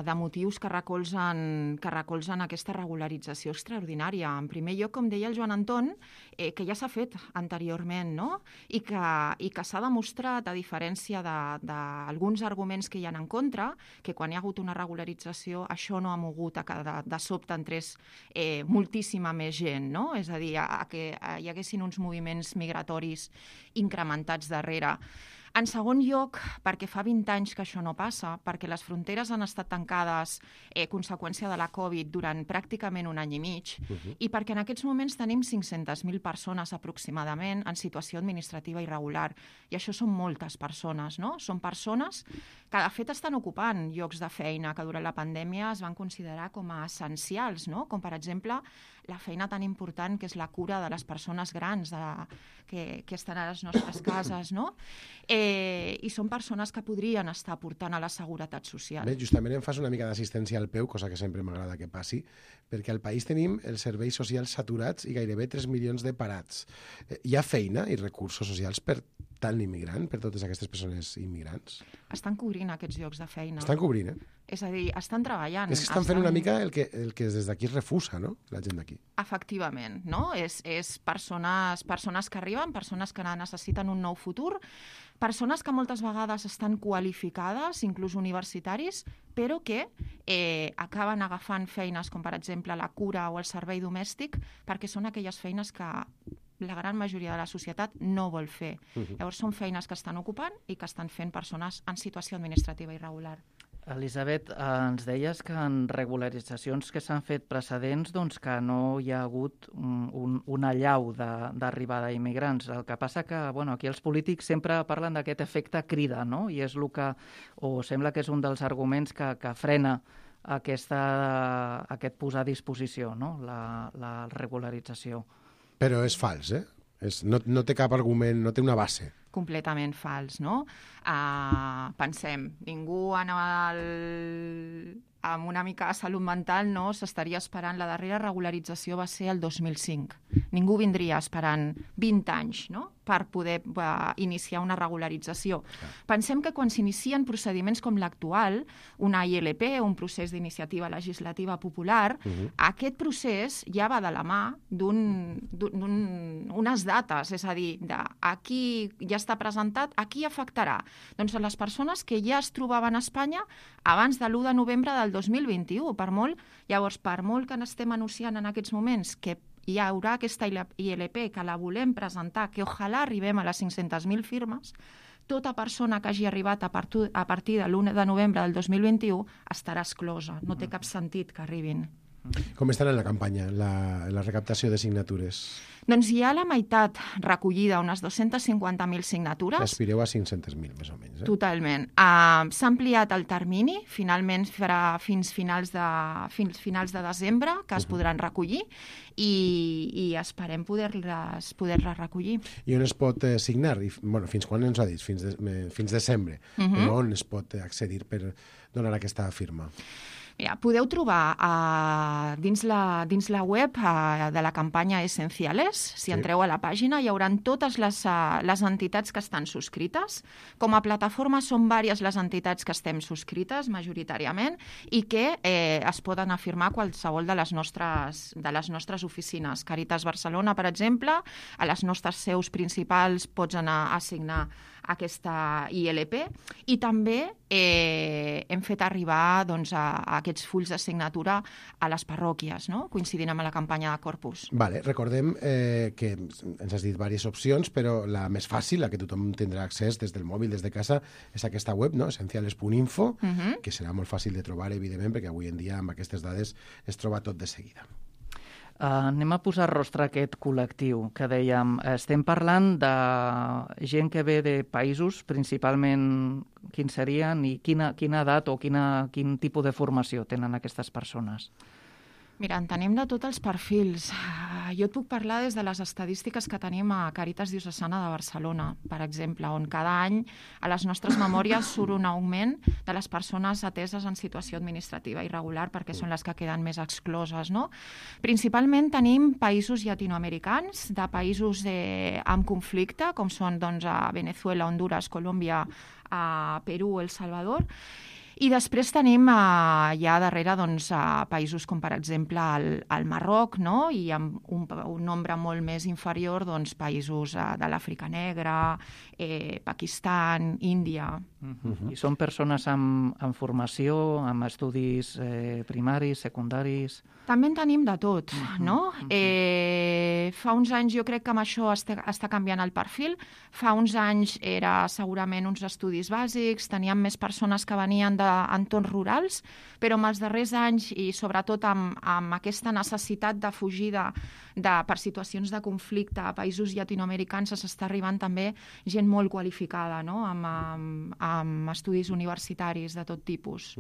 de motius que recolzen aquesta regularització extraordinària. En primer lloc, com deia el Joan Anton, que ja s'ha fet anteriorment, no?, i que s'ha demostrat, a diferència d'alguns arguments que hi ha en contra, que quan hi ha hagut una regularització això no ha mogut a que de sobte entrés moltíssima més gent, no?, és a dir, que hi haguessin uns moviments migratoris incrementats darrere. En segon lloc, perquè fa 20 anys que això no passa, perquè les fronteres han estat tancades conseqüència de la Covid durant pràcticament un any i mig, i perquè en aquests moments tenim 500.000 persones aproximadament en situació administrativa irregular. I això són moltes persones, no? Són persones que de fet estan ocupant llocs de feina que durant la pandèmia es van considerar com a essencials, no? Com per exemple la feina tan important que és la cura de les persones grans que estan a les nostres cases, no? I són persones que podrien estar aportant a la seguretat social. Bé, justament em fas una mica d'assistència al peu, cosa que sempre m'agrada que passi, perquè al país tenim els serveis socials saturats i gairebé 3 milions de parats. Hi ha feina i recursos socials per tant immigrant, per totes aquestes persones immigrants? Estan cobrint aquests llocs de feina. Estan cobrint, És a dir, estan treballant. És que estan fent una mica el que des d'aquí es refusa, no?, la gent d'aquí. Efectivament, no? És persones que arriben, persones que necessiten un nou futur, persones que moltes vegades estan qualificades, inclús universitaris, però que acaben agafant feines com, per exemple, la cura o el servei domèstic, perquè són aquelles feines que la gran majoria de la societat no vol fer. Llavors són feines que estan ocupant i que estan fent persones en situació administrativa irregular. Elisabet, ens deies que en regularitzacions que s'han fet precedents doncs que no hi ha hagut una allau d'arribada d'immigrants. El que passa que aquí els polítics sempre parlen d'aquest efecte crida, no? I és el que, o sembla que és un dels arguments que frena aquest posar a disposició, no?, la regularització. Però és fals, no té cap argument, no té una base. Completament fals, no? Pensem, ningú amb una mica de salut mental no s'estaria esperant. La darrera regularització va ser el 2005. Ningú vindria esperant 20 anys, no?, per poder iniciar una regularització. Pensem que quan s'inicien procediments com l'actual, una ILP, un procés d'iniciativa legislativa popular, aquest procés ja va de la mà d'unes dates, és a dir, aquí ja està presentat, a qui afectarà? Doncs a les persones que ja es trobaven a Espanya abans de l'1 de novembre del 2021, per molt que n'estem anunciant en aquests moments que hi haurà aquesta ILP, que la volem presentar, que ojalà arribem a les 500.000 firmes, tota persona que hagi arribat a partir de l'1 de novembre del 2021 estarà exclosa. No té cap sentit que arribin. Com estan en la campanya, la recaptació de signatures? Doncs hi ha la meitat recollida, unes 250.000 signatures. Aspireu a 500.000, més o menys. Totalment. S'ha ampliat el termini, finalment farà fins finals de desembre, que es podran recollir, i esperem poder-les recollir. I on es pot signar? Fins quan ens ha dit? Fins desembre. Però on es pot accedir per donar aquesta firma? Mira, podeu trobar dins la web de la campanya Esenciales, si entreu a la pàgina, hi haurà totes les entitats que estan subscrites. Com a plataforma són diverses les entitats que estem subscrites, majoritàriament, i que es poden afirmar qualsevol de les nostres oficines. Càritas Barcelona, per exemple, a les nostres seus principals pots anar a signar aquesta ILP, i també hem fet arribar aquests fulls de signatura a les parròquies, no?, coincidint amb la campanya de Corpus. Recordem que ens has dit diverses opcions, però la més fàcil, la que tothom tindrà accés des del mòbil, des de casa, és aquesta web, no?, esenciales.info, que serà molt fàcil de trobar, evidentment, perquè avui en dia amb aquestes dades es troba tot de seguida. Anem a posar rostre a aquest col·lectiu que dèiem. Estem parlant de gent que ve de països, principalment quins serien i quina edat o quin tipus de formació tenen aquestes persones? Mira, en tenim de tots els perfils. Jo et puc parlar des de les estadístiques que tenim a Càritas Diocesana de Barcelona, per exemple, on cada any a les nostres memòries surt un augment de les persones ateses en situació administrativa irregular, perquè són les que queden més excloses, no? Principalment tenim països llatinoamericans, de països amb conflicte, com són Venezuela, Honduras, Colòmbia, Perú, El Salvador. I després tenim ja darrere països com, per exemple, el Marroc, no?, i amb un nombre molt més inferior països de l'Àfrica Negra, Pakistan, Índia. I són persones amb formació, amb estudis primaris, secundaris? També en tenim de tot, no? Fa uns anys jo crec que amb això està canviant el perfil. Fa uns anys era segurament uns estudis bàsics, teníem més persones que venien d'entorns rurals, però amb els darrers anys i sobretot amb aquesta necessitat de fugida per situacions de conflicte a països llatinoamericans s'està arribant també gent molt qualificada, no?, amb amb estudis universitaris de tot tipus,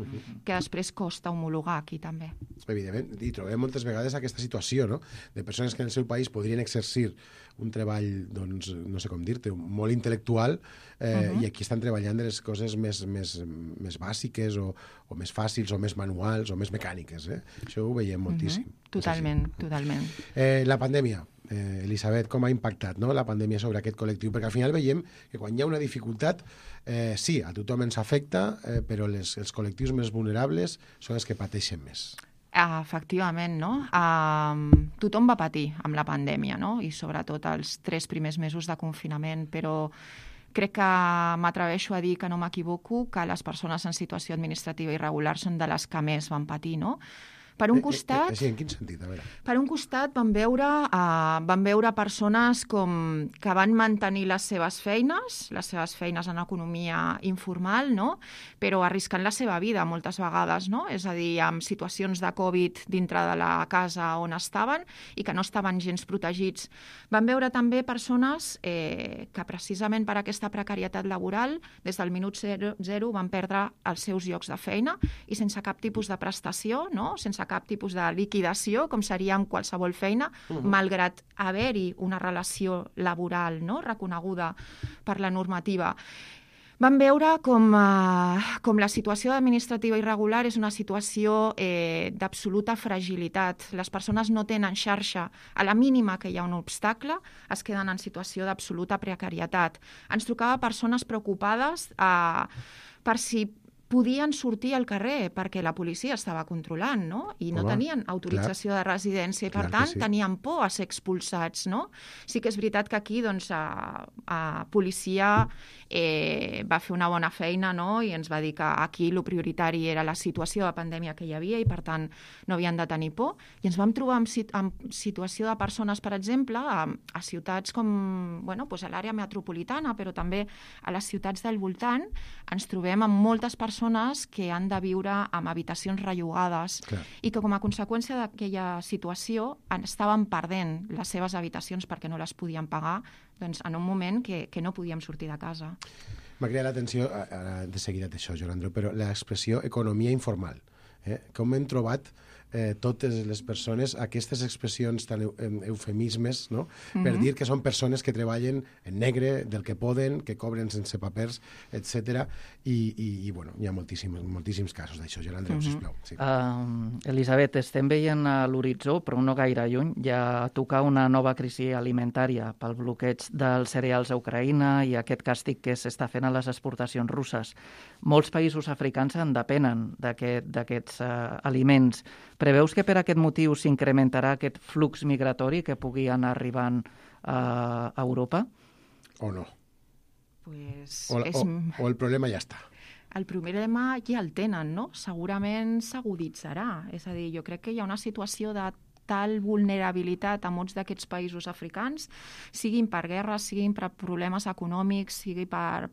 que després costa homologar aquí també. Evidentment, i trobem moltes vegades aquesta situació, no?, de persones que en el seu país podrien exercir un treball, doncs, no sé com dir-te, molt intel·lectual, i aquí estan treballant de les coses més bàsiques o més fàcils o més manuals o més mecàniques. Això ho veiem moltíssim. Totalment. La pandèmia, Elisabet, com ha impactat, no?, la pandèmia sobre aquest col·lectiu? Perquè al final veiem que quan hi ha una dificultat, sí, a tothom ens afecta, però els col·lectius més vulnerables són els que pateixen més. Efectivament, no? Tothom va patir amb la pandèmia, no? I sobretot els 3 primers mesos de confinament, però crec que m'atreveixo a dir que no m'equivoco, que les persones en situació administrativa irregular són de les que més van patir, no? Per un costat... Sí, en quin sentit? A veure. Per un costat vam veure persones que van mantenir les seves feines en economia informal, no?, però arriscant la seva vida moltes vegades, no? És a dir, amb situacions de Covid dintre de la casa on estaven i que no estaven gens protegits. Vam veure també persones que precisament per aquesta precarietat laboral, des del minut zero van perdre els seus llocs de feina i sense cap tipus de prestació, no?, sense cap tipus de liquidació, com seria amb qualsevol feina, malgrat haver-hi una relació laboral, no?, reconeguda per la normativa. Vam veure com la situació administrativa irregular és una situació d'absoluta fragilitat. Les persones no tenen xarxa. A la mínima que hi ha un obstacle, es queden en situació d'absoluta precarietat. Ens trucava persones preocupades per si podien sortir al carrer perquè la policia estava controlant, no? I no tenien autorització de residència i, per tant, tenien por a ser expulsats, no? Sí que és veritat que aquí, doncs, policia va fer una bona feina, no?, i ens va dir que aquí el prioritari era la situació de pandèmia que hi havia i, per tant, no havien de tenir por. I ens vam trobar en situació de persones, per exemple, a ciutats com, bueno, doncs a l'àrea metropolitana, però també a les ciutats del voltant, ens trobem amb moltes persones que han de viure amb habitacions rellogades i que com a conseqüència d'aquella situació estaven perdent les seves habitacions perquè no les podien pagar, doncs en un moment que no podíem sortir de casa. M'ha cridat l'atenció, ara de seguida d'això, Joan Andreu, però l'expressió economia informal. Com hem trobat totes les persones aquestes expressions tan eufemismes, no?, per dir que són persones que treballen en negre, del que poden, que cobren sense papers, etc. I bueno, hi ha moltíssims casos d'això. Joan Andreu, sisplau. Sí. Elisabet, estem veient a l'horitzó, però no gaire lluny, ja tocar una nova crisi alimentària pel bloqueig dels cereals a Ucraïna i aquest càstig que s'està fent a les exportacions russes. Molts països africans en depenen d'aquests aliments. Preveus que per aquest motiu s'incrementarà aquest flux migratori que pugui anar arribant a Europa? O no? Pues o el problema ja està? El problema ja el tenen, no? Segurament s'aguditzarà. És a dir, jo crec que hi ha una situació de tal vulnerabilitat a molts d'aquests països africans, siguin per guerres, siguin per problemes econòmics, sigui per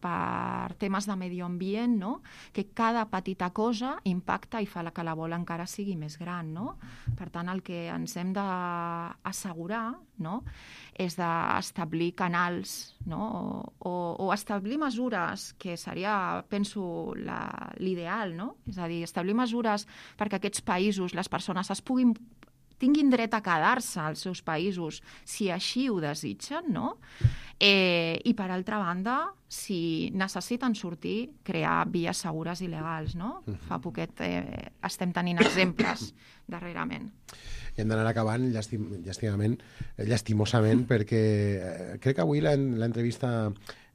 temes de medi ambient, no?, que cada petita cosa impacta i fa que la bola encara sigui més gran, no? Per tant, el que ens hem d'assegurar, no?, és d'establir canals, no?, o establir mesures, que seria, penso, l'ideal, no? És a dir, establir mesures perquè aquests països, les persones tinguin dret a quedar-se als seus països si així ho desitgen, no? I, per altra banda, si necessiten sortir, crear vies segures i legals, no? Fa poquet estem tenint exemples darrerament. I hem d'anar acabant llastimosament, perquè crec que avui l'entrevista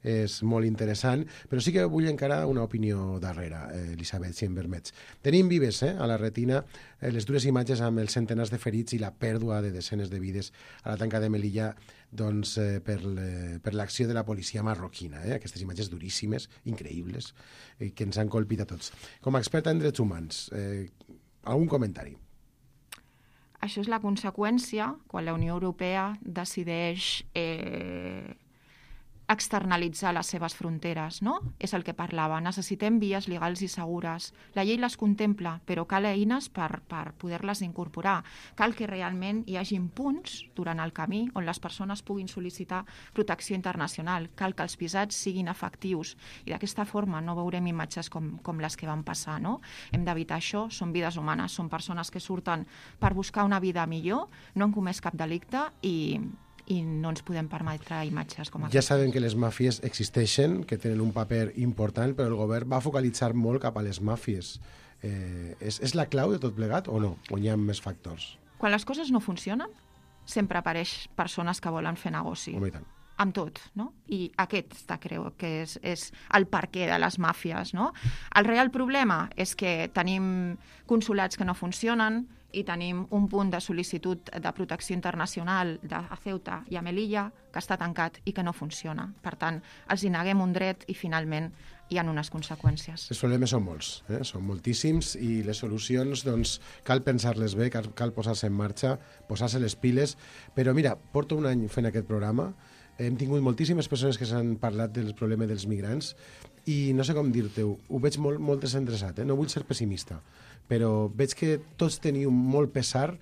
és molt interessant, però sí que vull encara una opinió darrere, Elisabet, si em permets. Tenim vives a la retina les dures imatges amb els centenars de ferits i la pèrdua de desenes de vides a la tanca de Melilla, doncs, per l'acció de la policia marroquina. Aquestes imatges duríssimes, increïbles, que ens han colpit a tots. Com a experta en drets humans, algun comentari? Això és la conseqüència quan la Unió Europea decideix externalitzar les seves fronteres, no? És el que parlava. Necessitem vies legals i segures. La llei les contempla, però cal eines per poder-les incorporar. Cal que realment hi hagin punts durant el camí on les persones puguin sol·licitar protecció internacional. Cal que els visats siguin efectius i d'aquesta forma no veurem imatges com les que van passar, no? Hem d'evitar això, són vides humanes, són persones que surten per buscar una vida millor, no han comès cap delicte i no ens podem permetre imatges com Ja sabem que les màfies existeixen, que tenen un paper important, però el govern va focalitzar molt cap a les màfies. És la clau de tot plegat o no? O hi ha més factors? Quan les coses no funcionen, sempre apareix persones que volen fer negoci. Home, i tant. Amb tot, no? I aquest crec que és el perquè de les màfies, no? El real problema és que tenim consulats que no funcionen i tenim un punt de sol·licitud de protecció internacional a Ceuta i a Melilla que està tancat i que no funciona. Per tant, els hi neguem un dret i finalment hi ha unes conseqüències. Els problemes són molts, són moltíssims i les solucions doncs, cal pensar-les bé, cal posar-se en marxa, posar-se les piles, però mira, porto un any fent aquest programa, hem tingut moltíssimes persones que s'han parlat del problema dels migrants i no sé com dir-te-ho, ho veig molt desinteressat, no vull ser pessimista, però veig que tots teniu molt pesar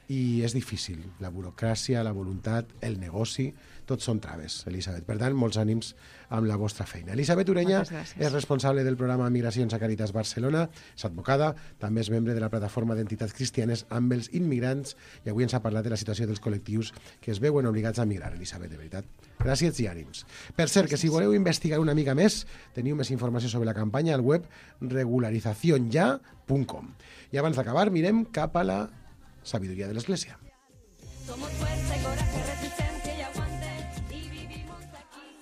i és difícil. La burocràcia, la voluntat, el negoci, tots són traves, Elisabet. Per tant, molts ànims amb la vostra feina. Elisabet Ureña és responsable del programa Migracions a Càritas Barcelona, és advocada, també és membre de la plataforma d'entitats cristianes amb els immigrants i avui ens ha parlat de la situació dels col·lectius que es veuen obligats a migrar, Elisabet, de veritat. Gràcies i ànims. Per cert, que si voleu investigar una mica més, teniu més informació sobre la campanya al web regularizacionya.com. I abans d'acabar, mirem cap a la sabiduria de l'Església. Somos fuerza, coraje, resistencia y aguante y vivimos aquí.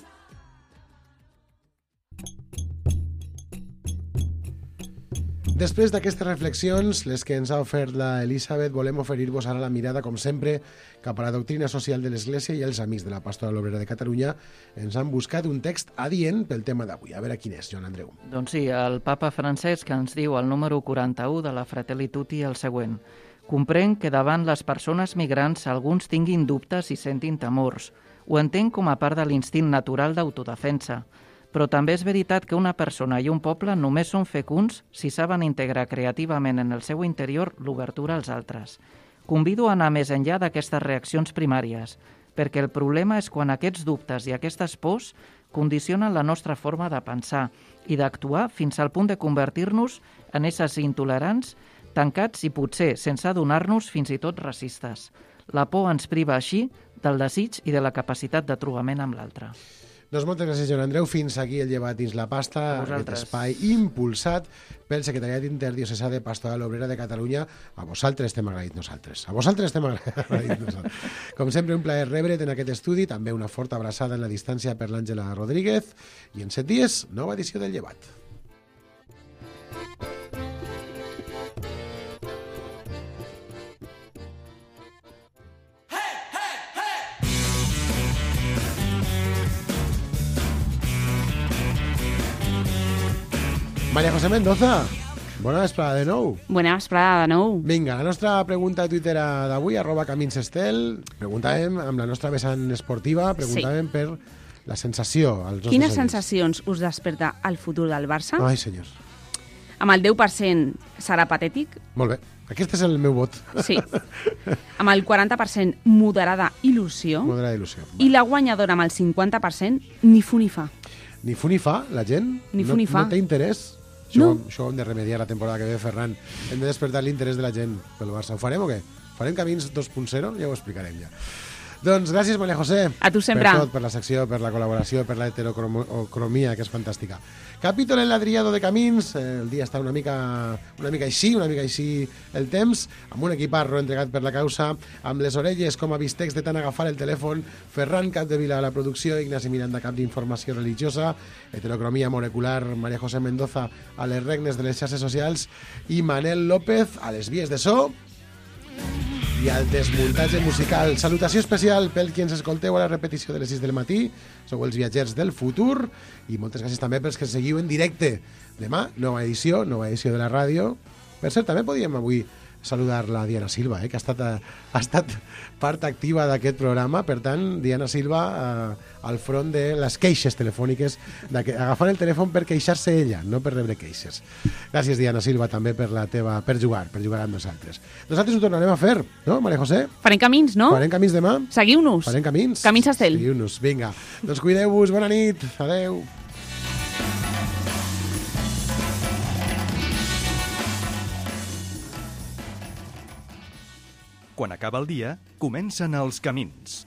Després d'aquestes reflexions, les que ens ha ofert la Elisabet, volem oferir-vos ara la mirada, com sempre, cap a la doctrina social de l'Església i els amics de la Pastoral Obrera de Catalunya ens han buscat un text adient pel tema d'avui. A veure quin és, Joan Andreu. Doncs sí, el papa Francesc ens diu al número 41 de la Fratelli Tutti el següent: comprenc que davant les persones migrants alguns tinguin dubtes i sentin temors. Ho entenc com a part de l'instint natural d'autodefensa. Però també és veritat que una persona i un poble només són fecunds si saben integrar creativament en el seu interior l'obertura als altres. Convido a anar més enllà d'aquestes reaccions primàries, perquè el problema és quan aquests dubtes i aquestes pors condicionen la nostra forma de pensar i d'actuar fins al punt de convertir-nos en éssers intolerants, tancats i potser, sense adonar-nos, fins i tot racistes. La por ens priva així del desig i de la capacitat de trobament amb l'altre. Doncs moltes gràcies, Joan Andreu. Fins aquí el Llevat dins la pasta, aquest espai impulsat pel Secretariat Interdiocesà de Pastoral Obrera de Catalunya. A vosaltres estem agraïts nosaltres. A vosaltres estem agraïts nosaltres. Com sempre, un plaer rebre't en aquest estudi. També una forta abraçada en la distància per l'Àngela Rodríguez. I en 7 dies, nova edició del Llevat. Maria José Mendoza, bona vesprada de nou. Bona vesprada de nou. Vinga, la nostra pregunta a Twitter d'avui, @caminsestel, preguntàvem amb la nostra vessant esportiva, preguntàvem per la sensació. Quines sensacions us desperta el futur del Barça? Ai, senyor. Amb el 10% serà patètic? Molt bé, aquest és el meu vot. Sí. Amb el 40% moderada il·lusió. Moderada il·lusió. I la guanyadora amb el 50% ni fu ni fa. Ni fu ni fa, la gent? Ni fu ni fa. No té interès? Això ho hem de remediar la temporada que ve, Ferran. Hem de despertar l'interès de la gent pel Barça. Ho farem o què? Farem Camins 2.0? Ja ho explicarem ja. Doncs gràcies, Maria José. A tu sempre. Per tot, per la secció, per la col·laboració, per la heterocromia, que és fantàstica. Capítol enladriado de Camins. El dia està una mica així el temps, amb un equiparro entregat per la causa, amb les orelles com a bistecs de tant agafar el telèfon. Ferran Capdevila a la producció, Ignasi Miranda, cap d'informació religiosa, heterocromia molecular, Maria José Mendoza a les regnes de les xarxes socials i Manel López a les vies de so i al desmuntatge musical. Salutació especial pel qui ens escolteu a la repetició de les 6 del matí. Sou els viatgers del futur i moltes gràcies també pels que seguiu en directe. Demà, nova edició de la ràdio. Per cert, també podíem avui saludar la Diana Silva, que ha estat part activa d'aquest programa. Per tant, Diana Silva al front de les queixes telefòniques, agafant el telèfon per queixar-se ella, no per rebre queixes. Gràcies, Diana Silva, també per jugar amb nosaltres. Nosaltres ho tornarem a fer, no, Maria José? Farem camins, no? Farem camins demà? Seguiu-nos. Farem camins? Camins a Estel. Seguiu-nos, vinga. Doncs cuideu-vos, bona nit, adeu. Quan acaba el dia, comencen els camins.